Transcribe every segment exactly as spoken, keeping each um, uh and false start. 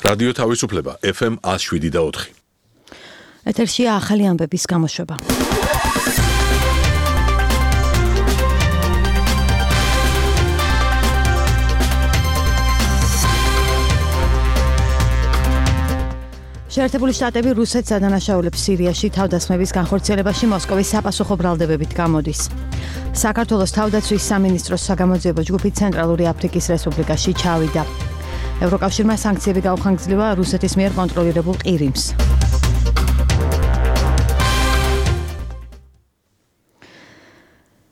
რადიო თავისუფლება ეფ ემ one oh seven და four. ეთერშია ახალი ამბების გამოშვება. შეერთებული შტატები რუსეთს ადანაშაულებს სირიაში თავდასხმების განხორციელებაში მოსკოვის საპასუხო ბრალდებებით გამოდის. საქართველოს თავდაცვის სამინისტროს საგამოძიებო ჯგუფი ცენტრალური აფრიკის რესპუბლიკაში ჩავიდა. ევროკავშირმა სანქციები გაუხანგრძლива რუსეთის მიერ კონტროლირებულ ყირიმს.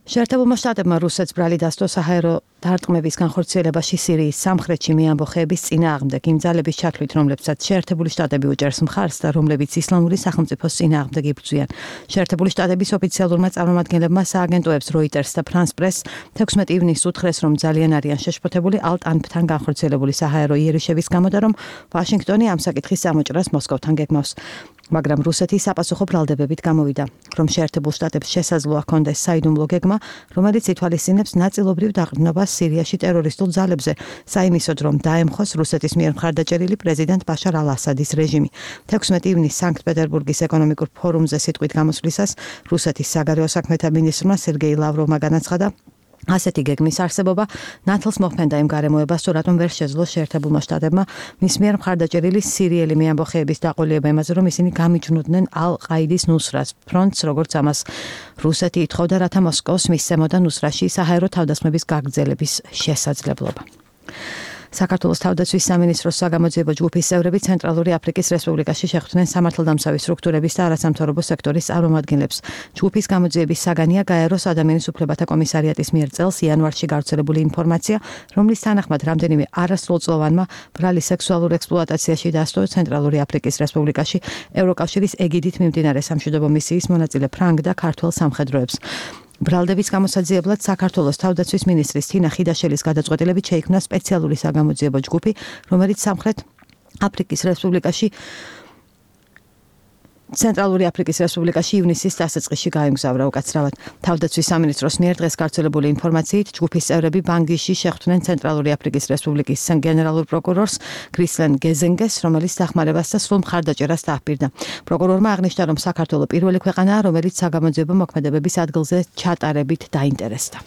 შეერთებულმა შტატებმა რუსეთს ბრალი დასდო საჰაერო დარტყმების განხორციელებაში სირიის სამხრეთში მეამბოხეების წინააღმდეგ იმ ძალების ჩათვლით, რომლებსაც შეერთებული შტატები უჭერს მხარს და რომლებიც ისლამური სახელმწიფოს წინააღმდეგ იბრძვიან. შეერთებული შტატების ოფიციალურმა წარმომადგენლებმა სააგენტოებს Reuters და France Press თექვსმეტი ივნისს უთხრეს, რომ ძალიან არიან შეშფოთებული ალტ-ანფთან განხორციელებული საჰაერო იერიშების გამო და რომ ვაშინგტონი ამ საკითხის გამოჭრას მოსკოვთან გეგმავს. მაგრამ რუსეთი საპასუხო ბრალდებებით გამოვიდა, რომ შეერთებულ შტატებს შესაძლოა ჰქონდეს საიდუმლო გეგმა, რომელიც ითვალისწინებს ნაწილობრივ დაყრდნობას სირიაში ტერორისტულ ძალებზე, საიმისოდ რომ დაემხოს რუსეთის მიერ მხარდაჭერილი პრეზიდენტ ბაშარ ალ-ასადის რეჟიმი. თექვსმეტი ივნისს სანქტ-პეტერბურგის ეკონომიკურ ფორუმზე სიტყვით გამოსვლისას რუსეთის საგარეო საქმეთა მინისტრმა სერგეი ლავროვმა განაცხადა, ასეთი გეგმის არსებობა ნათლს მოჰფენდა იმ გარემოებას, თუ რატომ ვერ შეძლო შეერთებულმა შტატებმა მის მიერ მხარდაჭერილი სირიელი მეამბოხეების დაყოლება იმაზე, რომ ისინი გამიჯნუდნენ ალ-ყაიდის ნუსრას ფრონტს, როგორც ამას რუსეთი ითხოვდა, რათა მოსკოვს მისცემოდა ნუსრაში საჰაერო თავდასხმების გაგრძელების შესაძლებლობა. საქართველოს თავდაცვის სამინისტროს საგამოძიებო ჯგუფის წევრები ცენტრალური აფრიკის რესპუბლიკაში შეხვდნენ სამართალდამცავი სტრუქტურების და არასამთავრობო სექტორის წარმომადგენლებს. ჯგუფის გამოძიების საგანია გაეროს ადამიანის უფლებათა კომისარიატის მიერ წელს იანვარში გავრცელებული ინფორმაცია, რომლის თანახმად რამდენიმე არასრულწლოვანმა ბრალი სექსუალურ ექსპლუატაციაში დასდო ცენტრალური აფრიკის რესპუბლიკაში ევროკავშირის ეგიდით მიმდინარე სამშვიდობო მისიის მონაწილე ფრანგ და ქართველ სამხედროებს. ბრალდების გამოსაძიებლად საქართველოს თავდაცვის მინისტრის თინა ხიდაშელის გადაწყვეტილებით შეიქმნა სპეციალური საგამოძიებო ჯგუფი, რომელიც სამხრეთ აფრიკის რესპუბლიკაში ცენტრალური აფრიკის რესპუბლიკაში ივნისის დასაწყისში გაემგზავრა უკაცრავად. თავდაცვის სამინისტროს მიერ დღეს გავრცელებული ინფორმაციით, ჯგუფის წევრები ბანგიში შეხვდნენ ცენტრალური აფრიკის რესპუბლიკის გენერალურ პროკურორს გრისლენ გეზენგეს, რომელიც დახმარებას და სრულ მხარდაჭერას დააჰპირდა. პროკურორმა აღნიშნა, რომ საქართველო პირველი ქვეყანაა, რომელიც საგამოძიებო მოქმედებების ადგილზე ჩატარებით დაინტერესდა.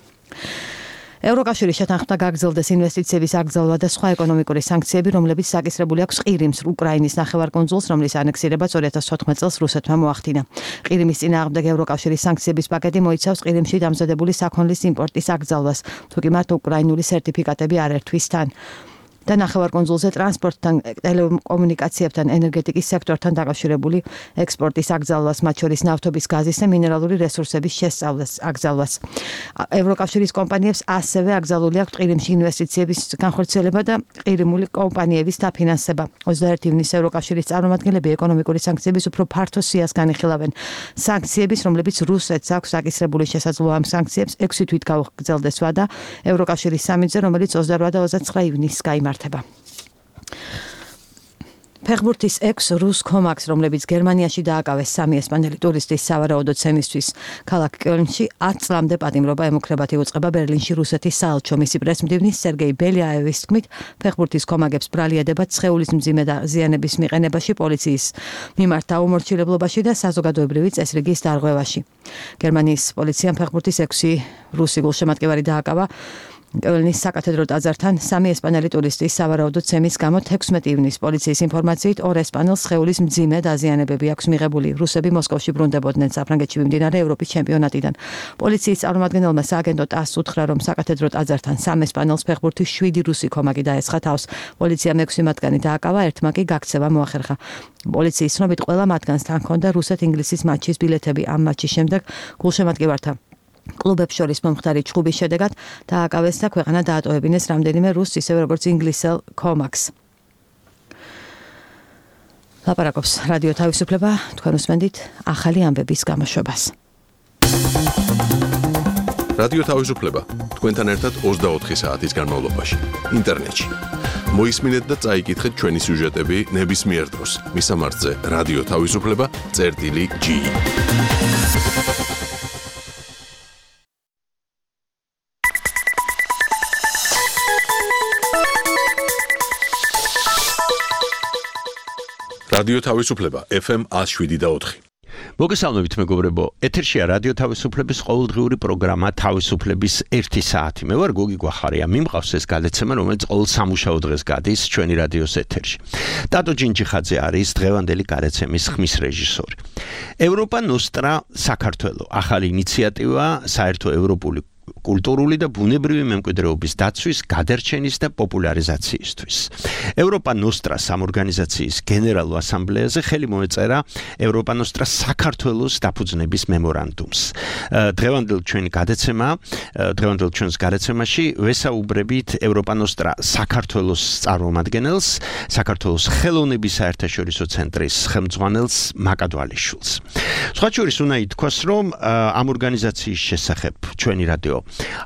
ევროკავშირი შეთანხმდა გაგრძელდეს ინვესტიციების აკრძალვა და სხვა ეკონომიკური სანქციები, რომლებიც საკისრებული აქვს ყირიმს, უკრაინის ნახევარკუნძულს, რომლის ანექსირებაც ორი ათას ოთხმეტ წელს რუსეთმა მოახდინა. ყირიმის წინააღმდეგ ევროკავშირის სანქციების პაკეტი მოიცავს ყირიმში დამზადებული საქონლის იმპორტის აკრძალვას, თუკი მათ უკრაინული სერტიფიკატები არ ერთვის თან. და ნახევარკუნძულზე ტრანსპორტთან, ტელეკომუნიკაციებთან, ენერგეტიკის სექტორთან დაკავშირებული ექსპორტის აკრძალვას, მათ შორის ნავთობის, გაზის და მინერალური რესურსების შესწავლას, აკრძალვას. ევროკავშირის კომპანიებს ასევე აკრძალული აქვს ყირიმში ინვესტიციების განხორციელება და ყირიმული კომპანიების დაფინანსება. ოცდაერთი ივნისს ევროკავშირის წარმომადგენლები ეკონომიკური სანქციების უფრო ფართო სიას განიხილავენ. სანქციების, რომლებიც რუსეთს აქვს აკისრებული შესაძლოა ამ სანქციებს ექვსი თვით გაუგრძელდეს ვადა ევროკავშირის სამიტზე, რომელიც ოცდაოთხ და ოცდაცხრა ივნისს გაიმართა. ფეხბურთის ექვს რუს კომაკს, რომლებიც გერმანიაში დააკავეს სამი ესპანელი ტურისტის სავარაუდო ცემისთვის, ქალაქ კელნში ათ წლამდე პატიმრობა ემუქრებათ იუწყება ბერლინში რუსეთის საელჩო. მისი პრესმდივნის სერგეი ბელიაევის თქმით, ფეხბურთის კომაგებს ბრალი ედებათ სხეულის მძიმე დაზიანების მიყენებაში, პოლიციის მიმართ დაუმორჩილებლობაში და საზოგადოებრივი წესრიგის დარღვევაში. გერმანიის პოლიციამ ფეხბურთის ექვსი რუსი გულშემატკივარი დააკავა კელნის საკათედრო ტაძართან სამი ესპანელი ტურისტის სავარაუდო ცემის გამო. თექვსმეტი ივნისს პოლიციის ინფორმაციით ორ ესპანელს სხეულის მძიმე დაზიანებები აქვს მიღებული. რუსები მოსკოვში ბრუნდებოდნენ საფრანგეთში მიმდინარე ევროპის ჩემპიონატიდან. პოლიციის წარმომადგენელმა სააგენტო ტასს უთხრა, რომ საკათედრო ტაძართან სამ ესპანელს ფეხბურთის შვიდი რუსი კომაკი დაესხა თავს. პოლიციამ ექვსი მათგანი დააკავა, ერთმა კი გაქცევა მოახერხა. პოლიციის ცნობით ყველა მათგანს თან ჰქონდა რუსეთ-ინგლისის მატჩის ბილეთები. ამ მატჩის შემდეგ გულშემატკივართა კლუბებს შორის მომხდარი ჩხუბის შედეგად დააკავეს და ქვეყანა დაატოვებინეს რამდენიმე რუსს, ისევე როგორც ინგლისელ კომაკს. ლაპარაკობს რადიო თავისუფლება, თქვენ უსმენთ ახალი ამბების გამოშვებას. რადიო თავისუფლება თქვენთან ერთად ოცდაოთხი საათის განმავლობაში ინტერნეტში. მოისმინეთ და წაიკითხეთ ჩვენი სიუჟეტები ნებისმიერ დროს. მისამართზე რადიო თავისუფლება წერტილი ჯი. რადიო თავისუფლება ეფ ემ one oh seven და four. მოგესალმებით მეგობრებო, ეთერშია რადიო თავისუფლების ყოველდღიური პროგრამა თავისუფლების ერთი საათი. მე ვარ გოგი გვახარია, მიმყავს ეს გადაცემა, რომელიც ყოველ სამუშაო დღეს გადის ჩვენი რადიოს ეთერში. ტატო ჯინჯიხაძე არის დღევანდელი გადაცემის ხმის რეჟისორი. ევროპა ნოსტრა საქართველო, ახალი ინიციატივა საერთო ევროპული კულტურული და ბუნებრივი მემკვიდრეობის დაცვის, გადარჩენის და პოპულარიზაციისთვის. ევროპა ნოსტრას სამორგანიზაციის გენერალურ ასამბლეაზე ხელი მოეწერა ევროპა ნოსტრას საქართველოს დაფუძნების მემორანდუმს. დღევანდელ ჩვენი გადაცემა, დღევანდელ ჩვენს გადაცემაში ვესაუბრებით ევროპა ნოსტრა საქართველოს წარმომადგენელს, საქართველოს ხელოვნების საერთაშორისო ცენტრის ხელმძღვანელს მაკადვალიშვილს. სხვა შორის უნდა ითქვას, რომ ამ ორგანიზაციის შესახებ ჩვენი რადიო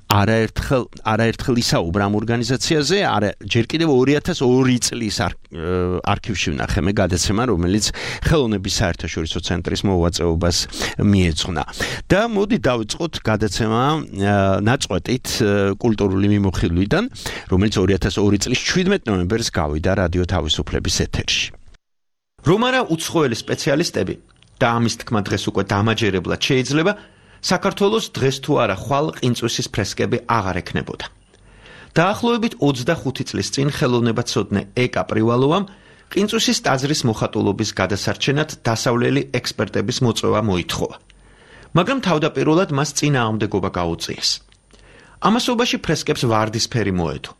არაერთხელ არაერთხელ ისაუბრა ამ ორგანიზაციაზე, არა ჯერ კიდევ ორი ათას ორი წლის არქივში ვნახე მე გადაცემა, რომელიც ხელოვნების საერთაშორისო ცენტრის მოღვაწეობას მიეძღვნა. და მოდი დავიწყოთ გადაცემა ნაწყვეტით კულტურული მიმოხილვიდან, რომელიც ორი ათას ორი წლის შვიდმეტ ნოემბერს გავიდა რადიო თავისუფლების ეთერში. რომ არა უცხოელი სპეციალისტები და ამის თქმა დღეს უკვე დამაჯერებლად შეიძლება საქართველოს დღეს თუ არა ხვალ ყინწვისის ფრესკები აღარ ექნებოდა. დაახლოებით ოცდახუთი წლის წინ ხელოვნებაცოდნე ეკა პრივალოვამ ყინწვისის ტაძრის მოხატულობის გადასარჩენად დასავლელი ექსპერტების მოწვევა მოითხოვა. მაგრამ თავდაპირველად მას წინააღმდეგობა გაუწიეს. ამასობაში ფრესკებს ვარდისფერი მოედო.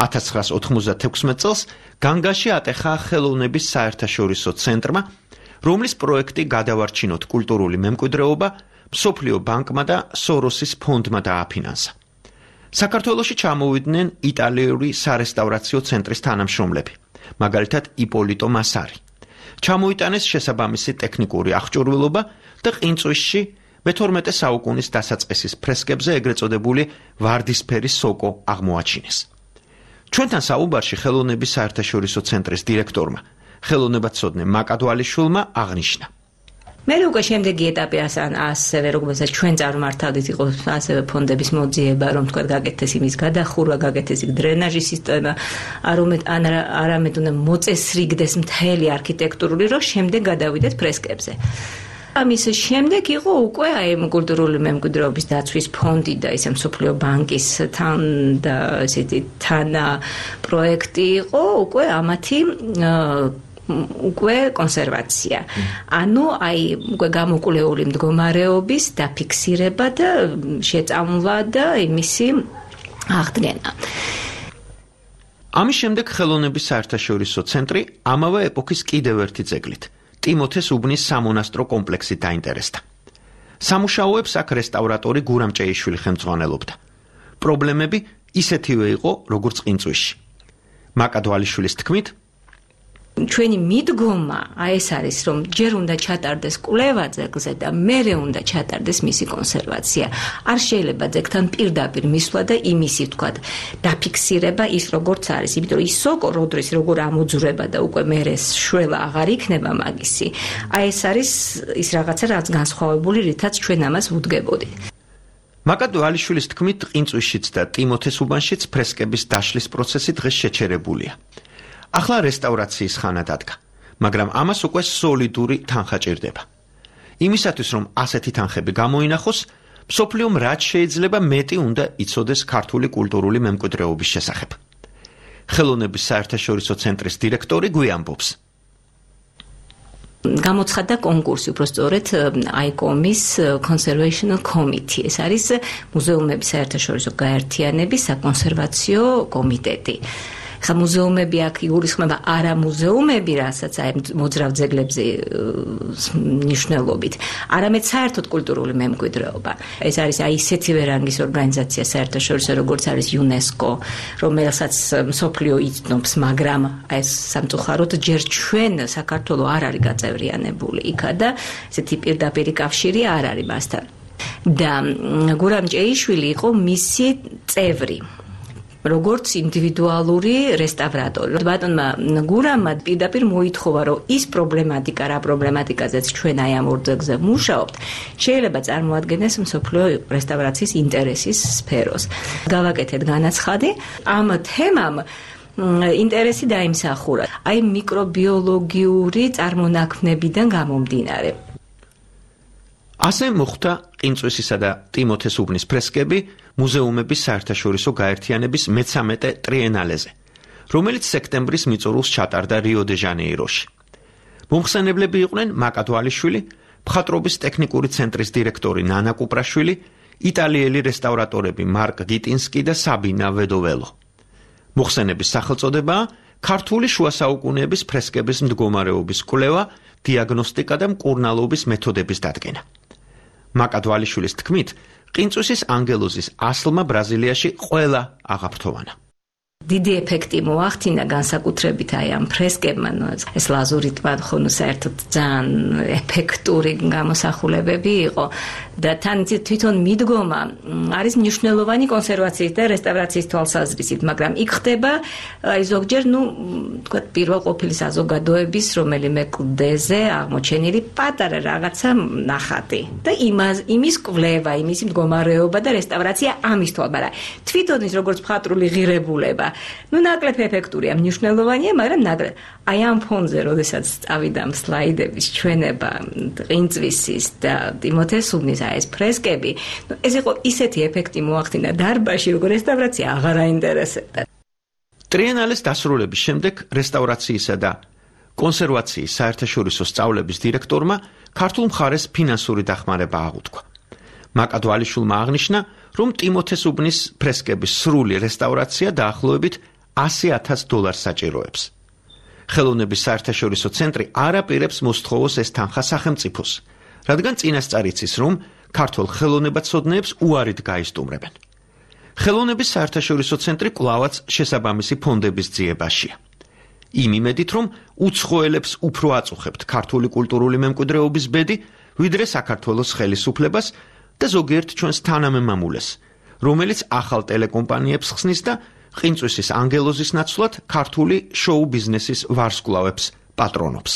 ათას ცხრაას ოთხმოცდათექვსმეტ წელს განგაში ატეხა ხელოვნების საერთაშორისო ცენტრმა, რომლის პროექტი გადავარჩინოთ კულტურული მემკვიდრეობა მსოფლიო ბანკმა და სოროსის ფონდმა დააფინანსა. საქართველოში ჩამოვიდნენ იტალიური სარესტავრაციო ცენტრის თანამშრომლები, მაგალითად იპოლიტო მასარი. ჩამოიტანეს შესაბამისი ტექნიკური აღჭურვილობა და ყინწვისში მეთორმეტე საუკუნის დასაწყისის ფრესკებზე ეგრეთ წოდებული ვარდისფერი სოკო აღმოაჩინეს. ჩვენთან საუბარში ხელოვნების საერთაშორისო ცენტრის დირექტორმა, ხელოვნებაცოდნე მაკადვალიშვილმა აღნიშნა. მე უკვე შემდეგი ეტაპი ასევე როგორც ჩვენ წარმართავდით იყო ასევე ფონდების მოძიება, რომ თქვა გაკეთდეს იმის გადახურვა, გაკეთდეს იქ დრენაჟის სისტემა, არამედ არამედ უნდა მოწესრიგდეს მთელი არქიტექტურული, რომ შემდეგ გადავიდეთ ფრესკებზე. ამის შემდეგ იყო უკვე აი კულტურული მემკვიდრეობის დაცვის ფონდი და ისე მსოფლიო ბანკის თან და ესეთი თან პროექტი იყო უკვე ამათი უკვე კონსერვაცია. ანუ აი უკვე გამოკვლეული მდგომარეობის დაფიქსირება და შეწამვა და იმისი აღდგენა. ამის შემდეგ ხელოვნების საერთაშორისო ცენტრი ამავე ეპოქის კიდევ ერთი ძეგლით, ტიმოთეს უბნის სამონასტრო კომპლექსით დაინტერესდა. სამუშაოებს აქ რესტავრატორი გურამ ჭეიშვილი ხელმძღვანელობდა. პრობლემები ისეთივე იყო, როგორც ყინწვისში. მაკადვალიშვილის თქმით, ჩვენი მიდგომა აი ეს არის, რომ ჯერ უნდა ჩატარდეს კვლევა ძეგლზე და მერე უნდა ჩატარდეს მისი კონსერვაცია. არ შეიძლება ძეგლთან პირდაპირ მისვლა და იმისი ვთქვათ დაფიქსირება ის როგორც არის, იმიტომ რომ ის სოკო როდრის როგორ ამოძვრება და უკვე მერე შველა აღარ იქნება მაგისი. აი ეს არის ის რაღაცა, რაც განსხვავებული, რითაც ჩვენ ამას ვუდგებოდით. მაკადვალიშვილის თქმით, ყინწვისშიც და ტიმოთეს უბანშიც ფრესკების დაშლის პროცესი დღეს შეჩერებულია. ახლა რესტავრაციის ხანა დადგა, მაგრამ ამას უკვე სოლიდური თანხა ჭირდება. იმისათვის, რომ ასეთი თანხები გამოინახოს, მსოფლიომ რაც შეიძლება მეტი უნდა იცოდეს ქართული კულტურული მემკვიდრეობის შესახებ. ხელოვნების საერთაშორისო ცენტრის დირექტორი გვიამბობს. გამოცხადდა კონკურსი, უფრო სწორედ აიკომის Conservation Committee. ეს არის მუზეუმების საერთაშორისო გაერთიანების საკონსერვაციო კომიტეტი. ხა მუზეუმები აქ იგულისხმება არა მუზეუმები, რასაც აი მოძრავ ძეგლებზე ნიშნულობით, არამედ საერთოდ კულტურული მემკვიდრეობა. ეს არის აი ისეთივე რანგის ორგანიზაცია საერთაშორისო, როგორც არის იუნესკო, რომელსაც მსოფლიო იცნობს, მაგრამ აი სამწუხაროდ ჯერ ჩვენ საქართველო არ არის გაწევრიანებული იქა და ესეთი პირდაპირი კავშირი არ არის მასთან. და გურამ ჭეიშვილი იყო მისი წევრი. როგორც ინდივიდუალური რესტავრატორი. ბატონმა გურამმა პირდაპირ მოითხოვა, რომ ის პრობლემატიკა, რა პრობლემატიკაზეც ჩვენ აი ამ ორ ძეგლზე ვმუშაობთ, შეიძლება წარმოადგენდეს მსოფლიო რესტავრაციის ინტერესის სფეროს. გავაკეთეთ განაცხადი ამ თემამ ინტერესი დაიმსახურა. აი მიკრობიოლოგიური წარმონაქმნებიდან გამომდინარე. ასე მოხდა ყინწვისისა და ტიმოთე სუბნის ფრესკები მუზეუმების საერთაშორისო გაერთიანების მეცამეტე ტრიენალეზე, რომელიც სექტემბრის მიწურულს ჩატარდა რიო-დე-ჟანეიროში. მომხსენებლები იყვნენ მაკა თვალიშვილი, მხატვრობის ტექნიკური ცენტრის დირექტორი ნანა კუპრაშვილი, იტალიელი რესტავრატორები მარკ გიტინსკი და საბინა ვედოველო. მოხსენების სახელწოდებაა ქართული შუა საუკუნეების ფრესკების მდგომარეობის კვლევა, დიაგნოსტიკა და მკურნალობის მეთოდების დადგენა. მაკა თვალიშვილის თქმით, ყინწვისის ანგელოზის ასლმა ბრაზილიაში ყველა აღაფრთოვანა. დიდი ეფექტი მოახდინა განსაკუთრებით აი ამ ფრესკებმა, ეს ლაზური ტბა ხო საერთოდ ძალიან ეფექტური გამოსახულებები იყო და თან თვითონ მიდგომა არის მნიშვნელოვანი კონსერვაციის და რესტავრაციის თვალსაზრისით, მაგრამ იქ ხდება აი ზოგჯერ, ну, თქვა პირველ ყოფილი საზოგადოების რომელიმე კლდეზე აღმოჩენილი პატარა რაღაცა ნახატი და იმას იმის კვლევა, იმის მდგომარეობა და რესტავრაცია ამის თვალ, მაგრამ თვითონ ის როგორც მხატვრული ღირებულება ну ნაკლებ ეფექტურია, მნიშვნელოვანია, მაგრამ ნაკლებ. აი ამ ფონზე, როდესაც წავიდა სლაიდების ჩვენება ყინწვისის და ტიმოთე სუბნის ეს ფრესკები, ეს იყო ისეთი ეფექტი მოახდინა დარბაზში, როგორ რესტავრაცია აღარ აინტერესებდა. ტრიენალეს დასრულების შემდეგ რესტავრაციისა და კონსერვაციის საერთაშორისო სწავლების დირექტორმა ქართულ მხარეს ფინანსური დახმარება აღუთქვა. მაკა თვალიშვილმა აღნიშნა, რომ ტიმოთე სუბნის ფრესკების სრული რესტავრაცია დაახლოებით ასი ათას დოლარს საჭიროებს. ხელოვნების საერთაშორისო ცენტრი არ აპირებს მოსთხოვოს ეს თანხა სახელმწიფოს, რადგან წინასწარ იცის, რომ ქართულ ხელოვნებაცოდნეებს უარით გაისტუმრებენ. ხელოვნების საერთაშორისო ცენტრი კვლავაც შესაბამისი ფონდების ძიებაშია. იმ იმედით, რომ უცხოელებს უფრო აწუხებთ ქართული კულტურული მემკვიდრეობის ბედი, ვიდრე საქართველოს ხელისუფლებას და ზოგიერთ ჩვენს თანამემამულეს, რომელიც ახალ ტელეკომპანიებს ხსნის და ყინწვისის ანგელოზის ნაცვლად ქართული შოუ ბიზნესის ვარსკვლავებს პატრონობს.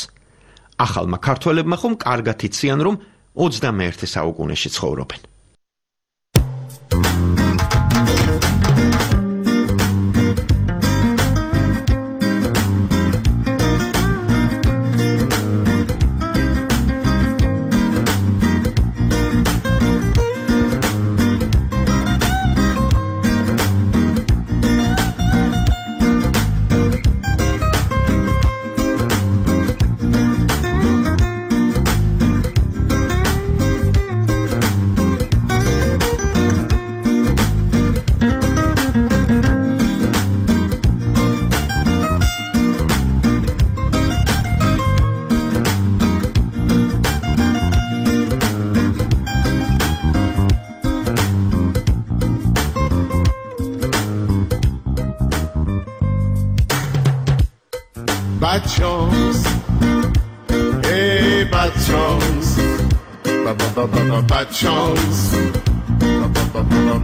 ახალმა ქართველებმა ხომ კარგად იციან, რომ ოცდამეერთე საუკუნეში ცხოვრობენ. Bad chance, hey, bad chance, bad chance,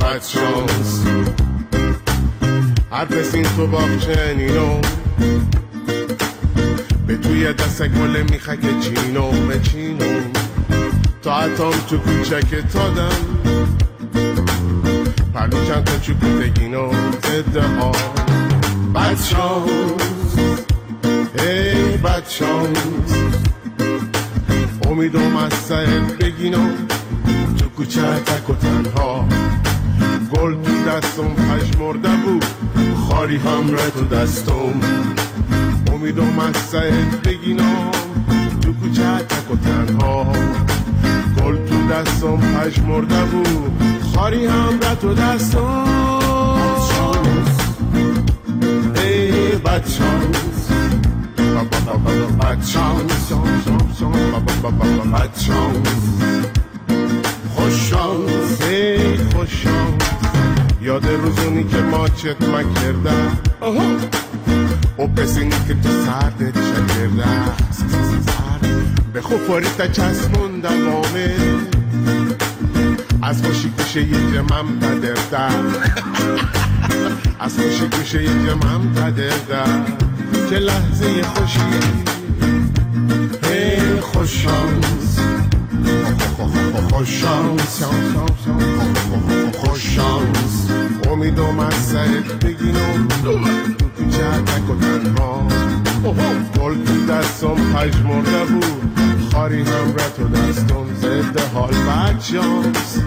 bad chance. هر کسی این تو باغچنینو به توی دست گل میخک چینو بچینو تا اتام تو کوچک تادم پرلو چند تا چوب بگینو زده ها bad chance, hey, bad chance. امیدم از سهل بگینو تو کوچه تک و تنها گل تو دستم پژمرده بود خاری هم ره تو دستم امیدم از سهل بگینم تو کوچه تک و تنها گل تو دستم پژمرده بود خاری هم ره تو دستم ای بد شانس بد شانس بد شانس خوش شانس ای خوش شانس یاد روزونی که ما چت مکرده و پسینی که تو سردت شکرده به خوفاریتا چسبون دوامه از خوشی گوشه یه جمعم تدرده از خوشی گوشه یه جمعم تدرده چه لحظه خوشی ای خوش شانس خوش شانس خوش شانس میدم از سرت بگیرم تو کوچه تک و تنها گل تو دستم پژمرده بود خاری هم را تو دستم ضد حال بد شانس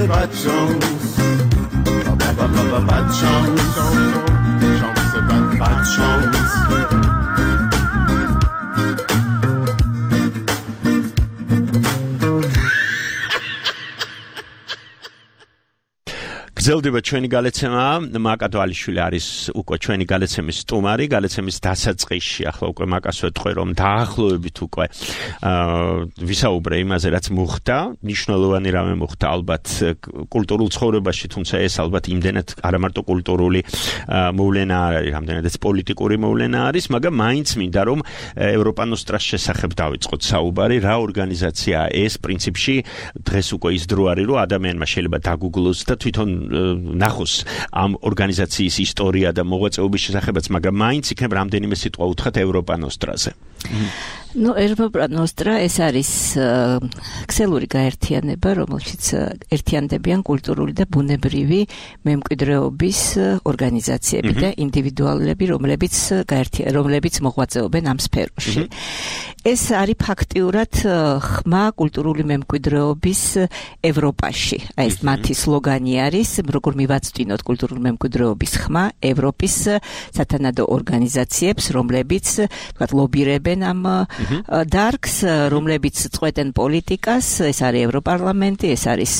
بد شانس بد شانس شانس بد بد شانس გრძელდება ჩვენი გალეცემა, მაკა თვალიშვილი არის უკვე ჩვენი გალეცემის სტუმარი, გალეცემის დასაწყისში ახლა უკვე მაკას ვეთქვი რომ დაახლოებით უკვე ვისაუბრე იმაზე რაც მოხდა, მნიშვნელოვანი რამე მოხდა ალბათ კულტურულ ცხოვრებაში, თუმცა ეს ალბათ იმდენად არა მარტო კულტურული მოვლენა არის, რამდენადაც პოლიტიკური მოვლენა არის, მაგრამ მაინც მინდა რომ ევროპანოსტრას შესახებ დავიწყოთ საუბარი, რა ორგანიზაციაა ეს პრინციპში, დღეს უკვე ის დრო არის რომ ადამიანმა შეიძლება დაგუგლოს და თვითონ ნახოს ამ ორგანიზაციის ისტორია და მოღვაწეობის შესახებაც, მაგრამ მაინც იქნებ რამდენიმე სიტყვა უთხრათ ევროპანოსტრაზე. Ну, Европа-Ностра ეს არის ქსელური გაერთიანება, რომელშიც ერთიანდებიან კულტურული და ბუნებრივი მემკვიდრეობის ორგანიზაციები და ინდივიდუალები, რომლებიც გაერთიან, რომლებიც მოღვაწეობენ ამ სფეროში. ეს არის ფაქტიურად ხმა კულტურული მემკვიდრეობის ევროპაში. აი ეს მათი სლოგანი არის, როგორ მივაწვდინოთ კულტურული მემკვიდრეობის ხმა ევროპის სათანადო ორგანიზაციებს, რომლებიც თქვათ ლობირებენ ამ დარგს, რომლებიც წყვეტენ პოლიტიკას, ეს არის ევროპარლამენტი, ეს არის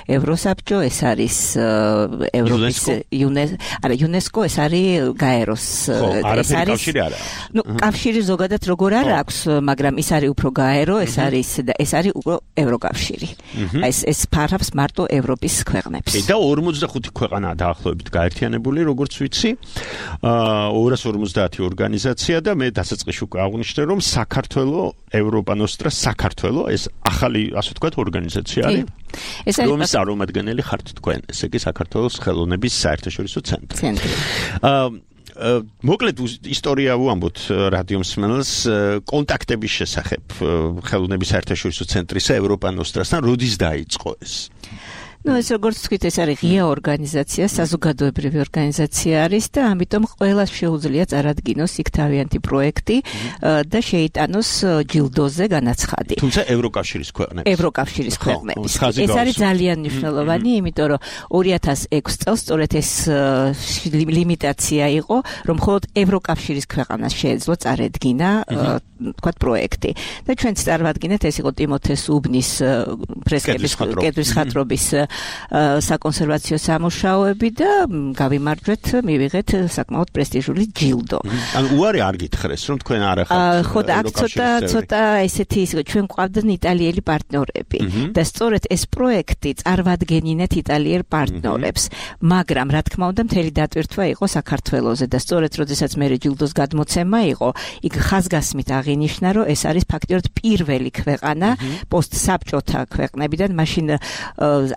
ევროსაბჭო, ეს არის ევროპის არა იუნესკო, ეს არის გაეროს, ეს არის ნუ კავშირი ზოგადად როგორ არ აქვს, მაგრამ ის არის უფრო გაერო, ეს არის ეს არის უკვე ევროკავშირი. ეს ეს ფარავს მარტო ევროპის ქვეყნებს. და ორმოცდახუთი ქვეყანაა დაახლოებით გაერთიანებული, როგორც ვიცი. ორას ორმოცდაათი ორგანიზაცია და მე დასაწყისში უკვე აღვნიშნე, რომ საქართველო ევროპანოსტრა საქართველო ეს ახალი, ასე ვთქვათ, ორგანიზაცია არის. ეს არის რომის წარმომადგენელი ხართ თქვენ, ესე იგი საქართველოს ხელოვნების საერთაშორისო ცენტრი. ცენტრი. მოკლედ ისტორია ვამბობთ რადიო მსმენელს კონტაქტების შესახებ ხელოვნების საერთაშორისო ცენტრისა ევროპანოსტრასთან, როდის დაიწყო ეს? Ну, ეს როგორც თქვით, ეს არის ღია ორგანიზაცია, საზოგადოებრივი ორგანიზაცია არის და ამიტომ ყველას შეუძლია წარადგინოს იქ თავიანთი პროექტი და შეიტანოს ჯილდოზე განაცხადი. თუმცა ევროკავშირის ქვეყნების. ევროკავშირის ქვეყნების. ეს არის ძალიან მნიშვნელოვანი, იმიტომ რომ ორი ათას ექვსი წელს სწორედ ეს ლიმიტაცია იყო, რომ მხოლოდ ევროკავშირის ქვეყანას შეეძლო წარედგინა, თქვათ, პროექტი. და ჩვენც წარმოვადგინეთ, ეს იყო ტიმოთე უბნის ფრესკების კედრის ხატრობის საკონსერვაციო სამუშაოები და გავიმარჯვეთ, მივიღეთ საკმაოდ პრესტიჟული ჯილდო. ანუ უარი არ გითხრეს, რომ თქვენ არ ახართ. ხო, და აქ ცოტა ცოტა ესეთი ის ჩვენ გვყავდნენ იტალიელი პარტნიორები და სწორედ ეს პროექტი წარმოვადგენინეთ იტალიელ პარტნიორებს, მაგრამ რა თქმა უნდა მთელი დატვირთვა იყო საქართველოზე და სწორედ როდესაც მე ჯილდოს გადმოცემა იყო, იქ ხაზგასმით აღინიშნა, რომ ეს არის ფაქტიურად პირველი ქვეყანა პოსტსაბჭოთა ქვეყნებიდან, მაშინ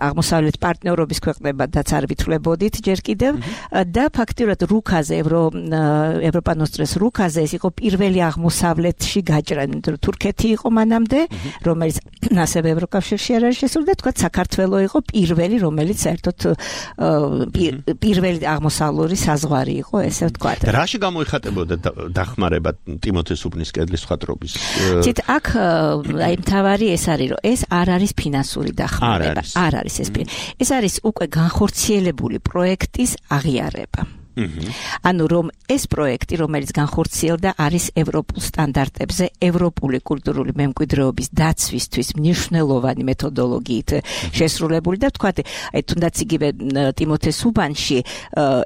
აღმოსავლეთ პარტნიორობის ქვეყნებადაც არ ვითვლებოდით ჯერ კიდევ და ფაქტიურად რუკაზე ევროპანოსტრას რუკაზე ეს იყო პირველი აღმოსავლეთში გაჭრა, თურქეთი იყო მანამდე, რომელიც ასევე ევროკავშირში არ არის შესული და თქვა საქართველო იყო პირველი, რომელიც საერთოდ პირველი აღმოსავლური საზღვარი იყო, ესე ვთქვა. რაში გამოიხატებოდა დახმარება ტიმოთე უბნის კედლის ხატრობის? ცით აქ აი მთავარი ეს არის, რომ ეს არ არის ფინანსური დახმარება. არ არის ეს ეს არის უკვე განხორციელებული პროექტის აღიარება. ანუ რომ ეს პროექტი, რომელიც განხორციელდა, არის ევროპულ სტანდარტებზე, ევროპული კულტურული მემკვიდრეობის დაცვისთვის მნიშვნელოვანი მეთოდოლოგიით შესრულებული და თქვათ, აი თუნდაც იგივე ტიმოთე უბანში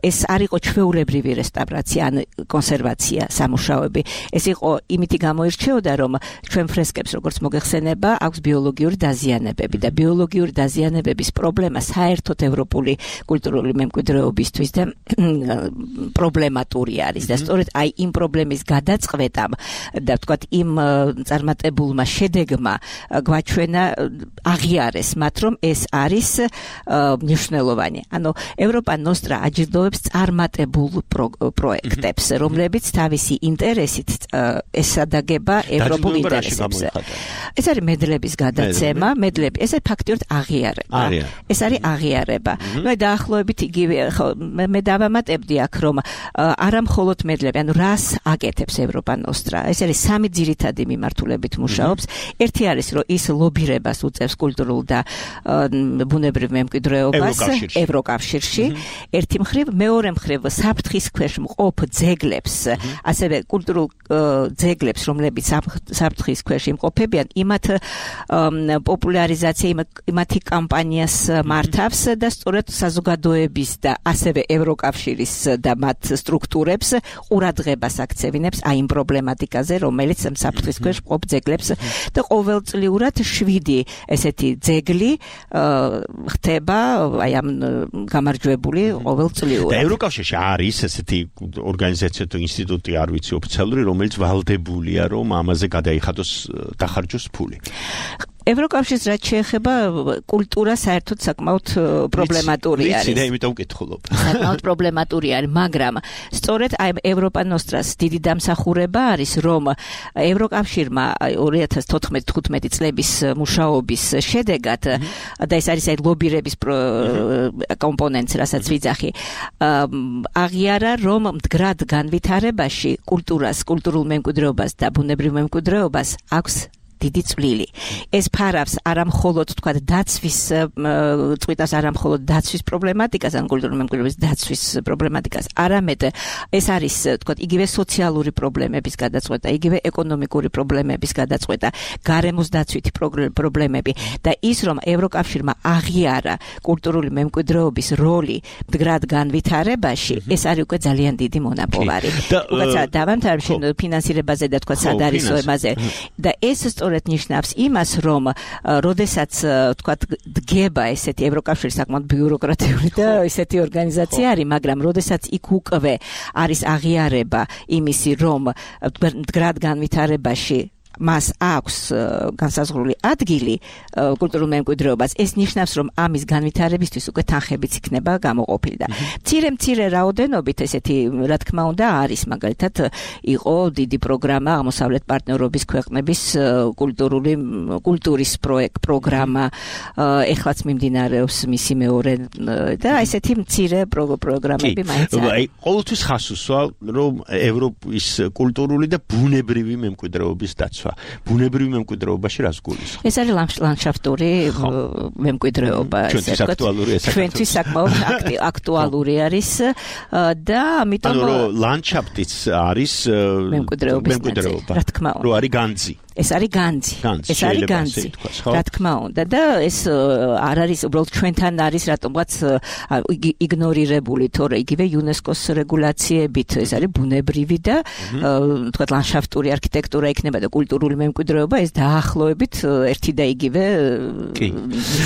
ეს არ იყო ჩვეულებრივი რესტავრაცია, ან კონსერვაცია სამუშაოები. ეს იყო იმითი გამოირჩეოდა, რომ ჩვენ ფრესკებს როგორც მოგეხსენება, აქვს ბიოლოგიური დაზიანებები და ბიოლოგიური დაზიანებების პრობლემა საერთოდ ევროპული კულტურული მემკვიდრეობისთვის და პრობლემატური არის და სწორედ აი იმ პრობლემის გადაწყვეტამ და ვთქვათ იმ წარმატებულმა შედეგმა გვაჩვენა აღიარეს მათ რომ ეს არის მნიშვნელოვანი. ანუ ევროპა ნოსტრა აჯილდოვებს წარმატებულ პროექტებს, რომლებიც თავისი ინტერესით ესადაგება ევროპულ ინტერესებს. ეს არის მედლების გადაცემა, მედლები, ეს ფაქტიურად აღიარება. ეს არის აღიარება. ნუ აი დაახლოებით იგივე მე დავამატებდი აქ რომ არა მხოლოდ მედლები, ანუ რას აკეთებს ევროპა ნოსტრა. ეს არის სამი ძირითადი მიმართულებით მუშაობს. ერთი არის რომ ის ლობირებას უწევს კულტურულ და ბუნებრივ მემკვიდრეობას ევროკავშირში. ერთი მხრივ, მეორე მხრივ საფრთხის ქვეშ მყოფ ძეგლებს, ასევე კულტურულ ძეგლებს, რომლებიც საფრთხის ქვეშ იმყოფებიან, იმათ პოპულარიზაცია, იმათი კამპანიას მართავს და სწორედ საზოგადოების და ასევე ევროკავშირის და მათ სტრუქტურებს ყურადღებას აქცევინებს აი იმ პრობლემატიკაზე, რომელიც საფრთხის ქვეშ მყოფ ძეგლებს და ყოველწლიურად შვიდი ესეთი ძეგლი ხდება აი ამ გამარჯვებული ყოველწლიურად. და ევროკავშირში არის ესეთი ორგანიზაცია თუ ინსტიტუტი, არ ვიცი, ოფიციალური, რომელიც ვალდებულია რომ ამაზე გადაიხადოს დახარჯოს ფული. ევროკავშირს რაც შეეხება კულტურა საერთოდ საკმაოდ პრობლემატური არის. ვიცი და იმიტომ ვკითხულობ. საკმაოდ პრობლემატური არის, მაგრამ სწორედ აი ევროპა ნოსტრას დიდი დამსახურება არის, რომ ევროკავშირმა ორი ათას თოთხმეტი თხუთმეტი წლების მუშაობის შედეგად და ეს არის აი ლობირების კომპონენტს, რასაც ვიძახი, აღიარა, რომ მდგრად განვითარებაში კულტურას, კულტურულ მემკვიდრეობას და ბუნებრივ მემკვიდრეობას აქვს დიდი წვლილი. ეს ფარავს არა მხოლოდ თქვათ დაცვის წვითას, არა მხოლოდ დაცვის პრობლემატიკას, ან კულტურული მემკვიდრეობის დაცვის პრობლემატიკას, არამედ ეს არის თქვათ იგივე სოციალური პრობლემების გადაწყვეტა, იგივე ეკონომიკური პრობლემების გადაწყვეტა, გარემოს დაცვითი პრობლემები და ის რომ ევროკავშირმა აღიარა კულტურული მემკვიდრეობის როლი მდგრად განვითარებაში, ეს არის უკვე ძალიან დიდი მონაპოვარი. უკაც დავამთავრე ფინანსირებაზე და თქვათ სადარისოებაზე და ეს სწორედ ნიშნავს იმას, რომ როდესაც თქვათ დგება ესეთი ევროკავშირი საკმაოდ ბიუროკრატიული და ესეთი ორგანიზაცია არის, მაგრამ როდესაც იქ უკვე არის აღიარება იმისი, რომ მდგრად განვითარებაში მას აქვს განსაზღვრული ადგილი კულტურულ მემკვიდრეობას, ეს ნიშნავს, რომ ამის განვითარებისთვის უკვე თანხებიც იქნება გამოყოფილი და მცირე-მცირე რაოდენობით ესეთი, რა თქმა უნდა, არის, მაგალითად, იყო დიდი პროგრამა აღმოსავლეთ პარტნიორობის ქვეყნების კულტურული კულტურის პროექტ პროგრამა, ეხლაც მიმდინარეობს მისი მეორე და ესეთი მცირე პროგრამები მაინც არის. აი, ყოველთვის ხას უსვამ, რომ ევროპის კულტურული და ბუნებრივი მემკვიდრეობის დაცვა ბუნებრივი მემკვიდრეობაში რას გულისხმობს? ეს არის ლანდშაფტური მემკვიდრეობა, ჩვენთვის აქტუალური ეს ჩვენთვის საკმაოდ აქტუალური არის და ამიტომ ანუ რომ ლანდშაფტიც არის მემკვიდრეობა, რა თქმა უნდა. რომ არის განძი. ეს არის განძი. ეს არის განძი. რა თქმა უნდა და ეს არ არის უბრალოდ ჩვენთან არის რატომღაც იგნორირებული, თორე იგივე იუნესკოს რეგულაციებით ეს არის ბუნებრივი და თქვა ლანდშაფტური არქიტექტურა იქნება და კულტურული მემკვიდრეობა, ეს დაახლოებით ერთი და იგივე. კი.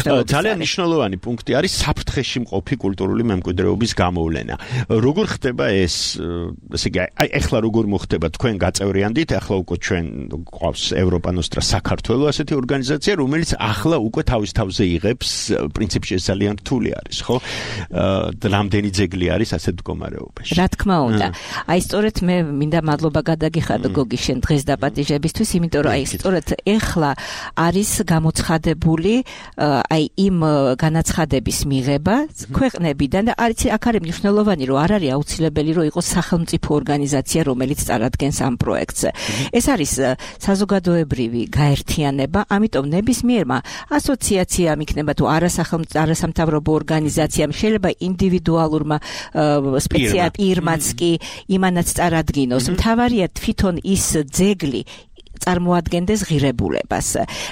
ძალიან მნიშვნელოვანი პუნქტი არის საფრთხეში მყოფი კულტურული მემკვიდრეობის გამოვლენა. როგორ ხდება ეს, ესე იგი, აი ეხლა როგორ მოხდება, თქვენ გაწევრიანდით, ეხლა უკვე ჩვენ გვყავს ევროპა ნოსტრა საქართველოს ასეთი ორგანიზაცია, რომელიც ახლა უკვე თავის თავზე იღებს, პრინციპში ეს ძალიან რთული არის, ხო? რამდენი ძეგლი არის ასეთ მდგომარეობაში. რა თქმა უნდა. აი სწორედ მე მინდა მადლობა გადაგიხადო გოგი შენ დღეს დაპატიჟებისთვის, იმიტომ რომ აი სწორედ ეხლა არის გამოცხადებული აი იმ განაცხადების მიღება ქვეყნებიდან და არის აქ არის მნიშვნელოვანი, რომ არ არის აუცილებელი, რომ იყოს სახელმწიფო ორგანიზაცია, რომელიც წარადგენს ამ პროექტს. ეს არის საზოგადოებრივი გაერთიანება, ამიტომ ნებისმიერმა ასოციაციამ იქნება თუ არასამთავრობო ორგანიზაციამ, შეიძლება ინდივიდუალურმა სპეციალ პირმაც კი იმანაც წარადგინოს. მთავარია თვითონ ის ძეგლი წარმოადგენდეს ღირებულებას.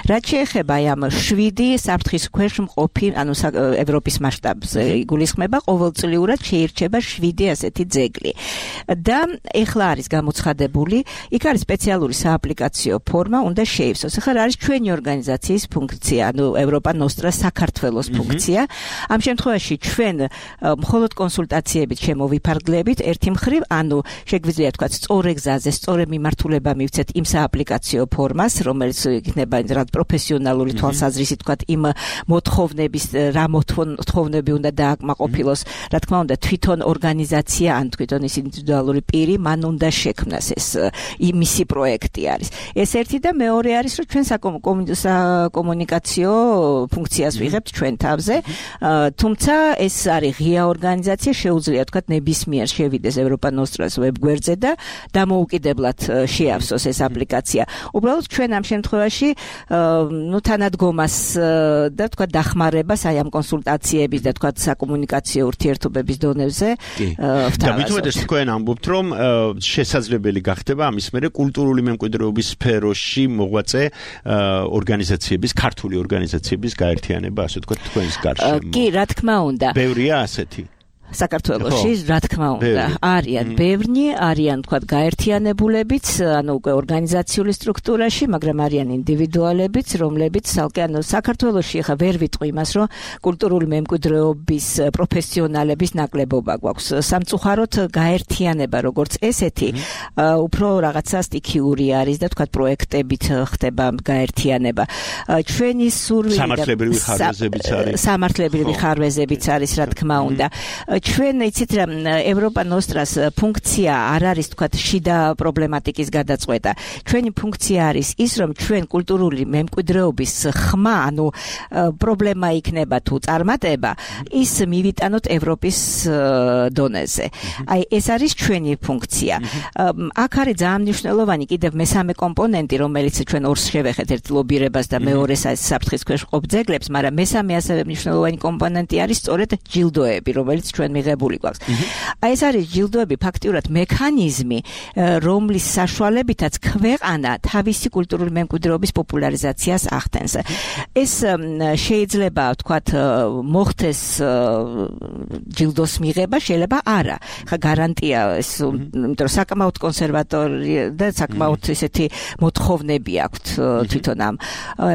რაც შეეხება ამ შვიდი საფრთხის ქვეშ მყოფი, ანუ ევროპის მასშტაბზე იგულისხმება, ყოველწლიურად შეირჩება შვიდი ასეთი ძეგლი. და ეხლა არის გამოცხადებული, იქ არის სპეციალური სააპლიკაციო ფორმა, უნდა შეივსოს. ახლა რა არის ჩვენი ორგანიზაციის ფუნქცია, ანუ ევროპა ნოსტრა საქართველოს ფუნქცია. ამ შემთხვევაში ჩვენ მხოლოდ კონსულტაციებით შემოვიფარგლებით ერთი მხრივ, ანუ შეგვიძლია თქვა სწორ გზაზე, სწორ მიმართულება მივცეთ იმ სააპლიკაციო ფორმას, რომელიც იქნება რა პროფესიონალური თვალსაზრისით თქვა იმ მოთხოვნების რა მოთხოვნები უნდა დააკმაყოფილოს, რა თქმა უნდა თვითონ ორგანიზაცია ან თვითონ ის ინდივიდუალური პირი მან უნდა შექმნას ეს იმისი პროექტი არის. ეს ერთი და მეორე არის, რომ ჩვენ საკომუნიკაციო ფუნქციას ვიღებთ ჩვენ თავზე, თუმცა ეს არის ღია ორგანიზაცია, შეუძლია თქვა ნებისმიერ შევიდეს ევროპა ნოსტრას ვებგვერდზე და დამოუკიდებლად შეავსოს ეს აპლიკაცია. უბრალოდ ჩვენ ამ შემთხვევაში ნუ თანადგომას და თქვა დახმარებას აი ამ კონსულტაციების და თქვა საკომუნიკაციო ურთიერთობების დონეზე ვთავაზობთ. და მithumetes თქვენ ამბობთ, რომ შესაძლებელი გახდება ამის მერე კულტურული მემკვიდრეობის სფეროში მოღვაწე ორგანიზაციების, ქართული ორგანიზაციების გაერთიანება, ასე თქვა თქვენს გარშემო. კი, რა თქმა უნდა. ბევრია ასეთი. საქართველოში რა თქმა უნდა არიან ბევრი, არიან თქვა გაერთიანებულებიც, ანუ უკვე ორგანიზაციული სტრუქტურაში, მაგრამ არიან ინდივიდუალებიც, რომლებიც ცალკე ანუ საქართველოში ხა ვერ ვიტყვი იმას, რომ კულტურული მემკვიდრეობის პროფესიონალების ნაკლებობა გვაქვს. სამწუხაროდ გაერთიანება როგორც ესეთი უფრო რაღაცა სტიქიური არის და თქვა პროექტებით ხდება გაერთიანება. ჩვენი სურვილი სამართლებრივი ხარვეზებიც არის. სამართლებრივი ხარვეზებიც არის, რა თქმა უნდა. ჩვენ იცით რა ევროპა ნოსტრას ფუნქცია არ არის თქვა შიდა პრობლემატიკის გადაწყვეტა. ჩვენი ფუნქცია არის ის, რომ ჩვენ კულტურული მემკვიდრეობის ხმა, ანუ პრობლემა იქნება თუ წარმატება, ის მივიტანოთ ევროპის დონეზე. აი ეს არის ჩვენი ფუნქცია. აქ არის ძალიან მნიშვნელოვანი კიდევ მესამე კომპონენტი, რომელიც ჩვენ ორს შევეხეთ, ერთ ლობირებას და მეორეს საფრთხის ქვეშ მყოფ ძეგლებს, მაგრამ მესამე ასევე მნიშვნელოვანი კომპონენტი არის სწორედ ჯილდოები, რომელიც ჩვენ მიღებული გვაქვს. აი ეს არის ჯილდოები ფაქტიურად მექანიზმი, რომლის საშუალებითაც ქვეყანა თავისი კულტურული მემკვიდრეობის პოპულარიზაციას ახდენს. ეს შეიძლება ვთქვათ მოხდეს ჯილდოს მიღება, შეიძლება არა. ხა გარანტია ეს, იმიტომ რომ საკმაოდ კონსერვატორი და საკმაოდ ესეთი მოთხოვნები აქვთ თვითონ ამ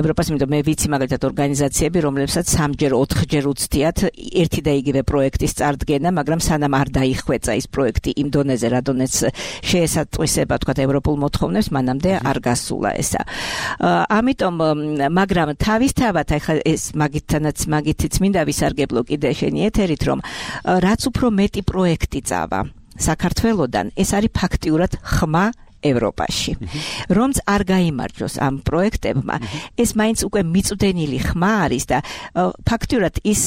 ევროპას, იმიტომ მე ვიცი მაგალითად ორგანიზაციები, რომლებსაც სამჯერ, ოთხჯერ უცდიათ ერთი და იგივე პროექტის წარდგენა, მაგრამ სანამ არ დაიხვეწა ის პროექტი იმ დონეზე, რა დონეც შეესატყვისება თქვა ევროპულ მოთხოვნებს, მანამდე არ გასულა ესა. ამიტომ, მაგრამ თავისთავად ახლა ეს მაგითანაც მაგითიც მინდა ვისარგებლო კიდე შენი ეთერით, რომ რაც უფრო მეტი პროექტი წავა საქართველოდან, ეს არის ფაქტიურად ხმა ევროპაში. რომც არ გაიმარჯოს ამ პროექტებმა, ეს მაინც უკვე მიწვდენილი ხმა არის და ფაქტიურად ის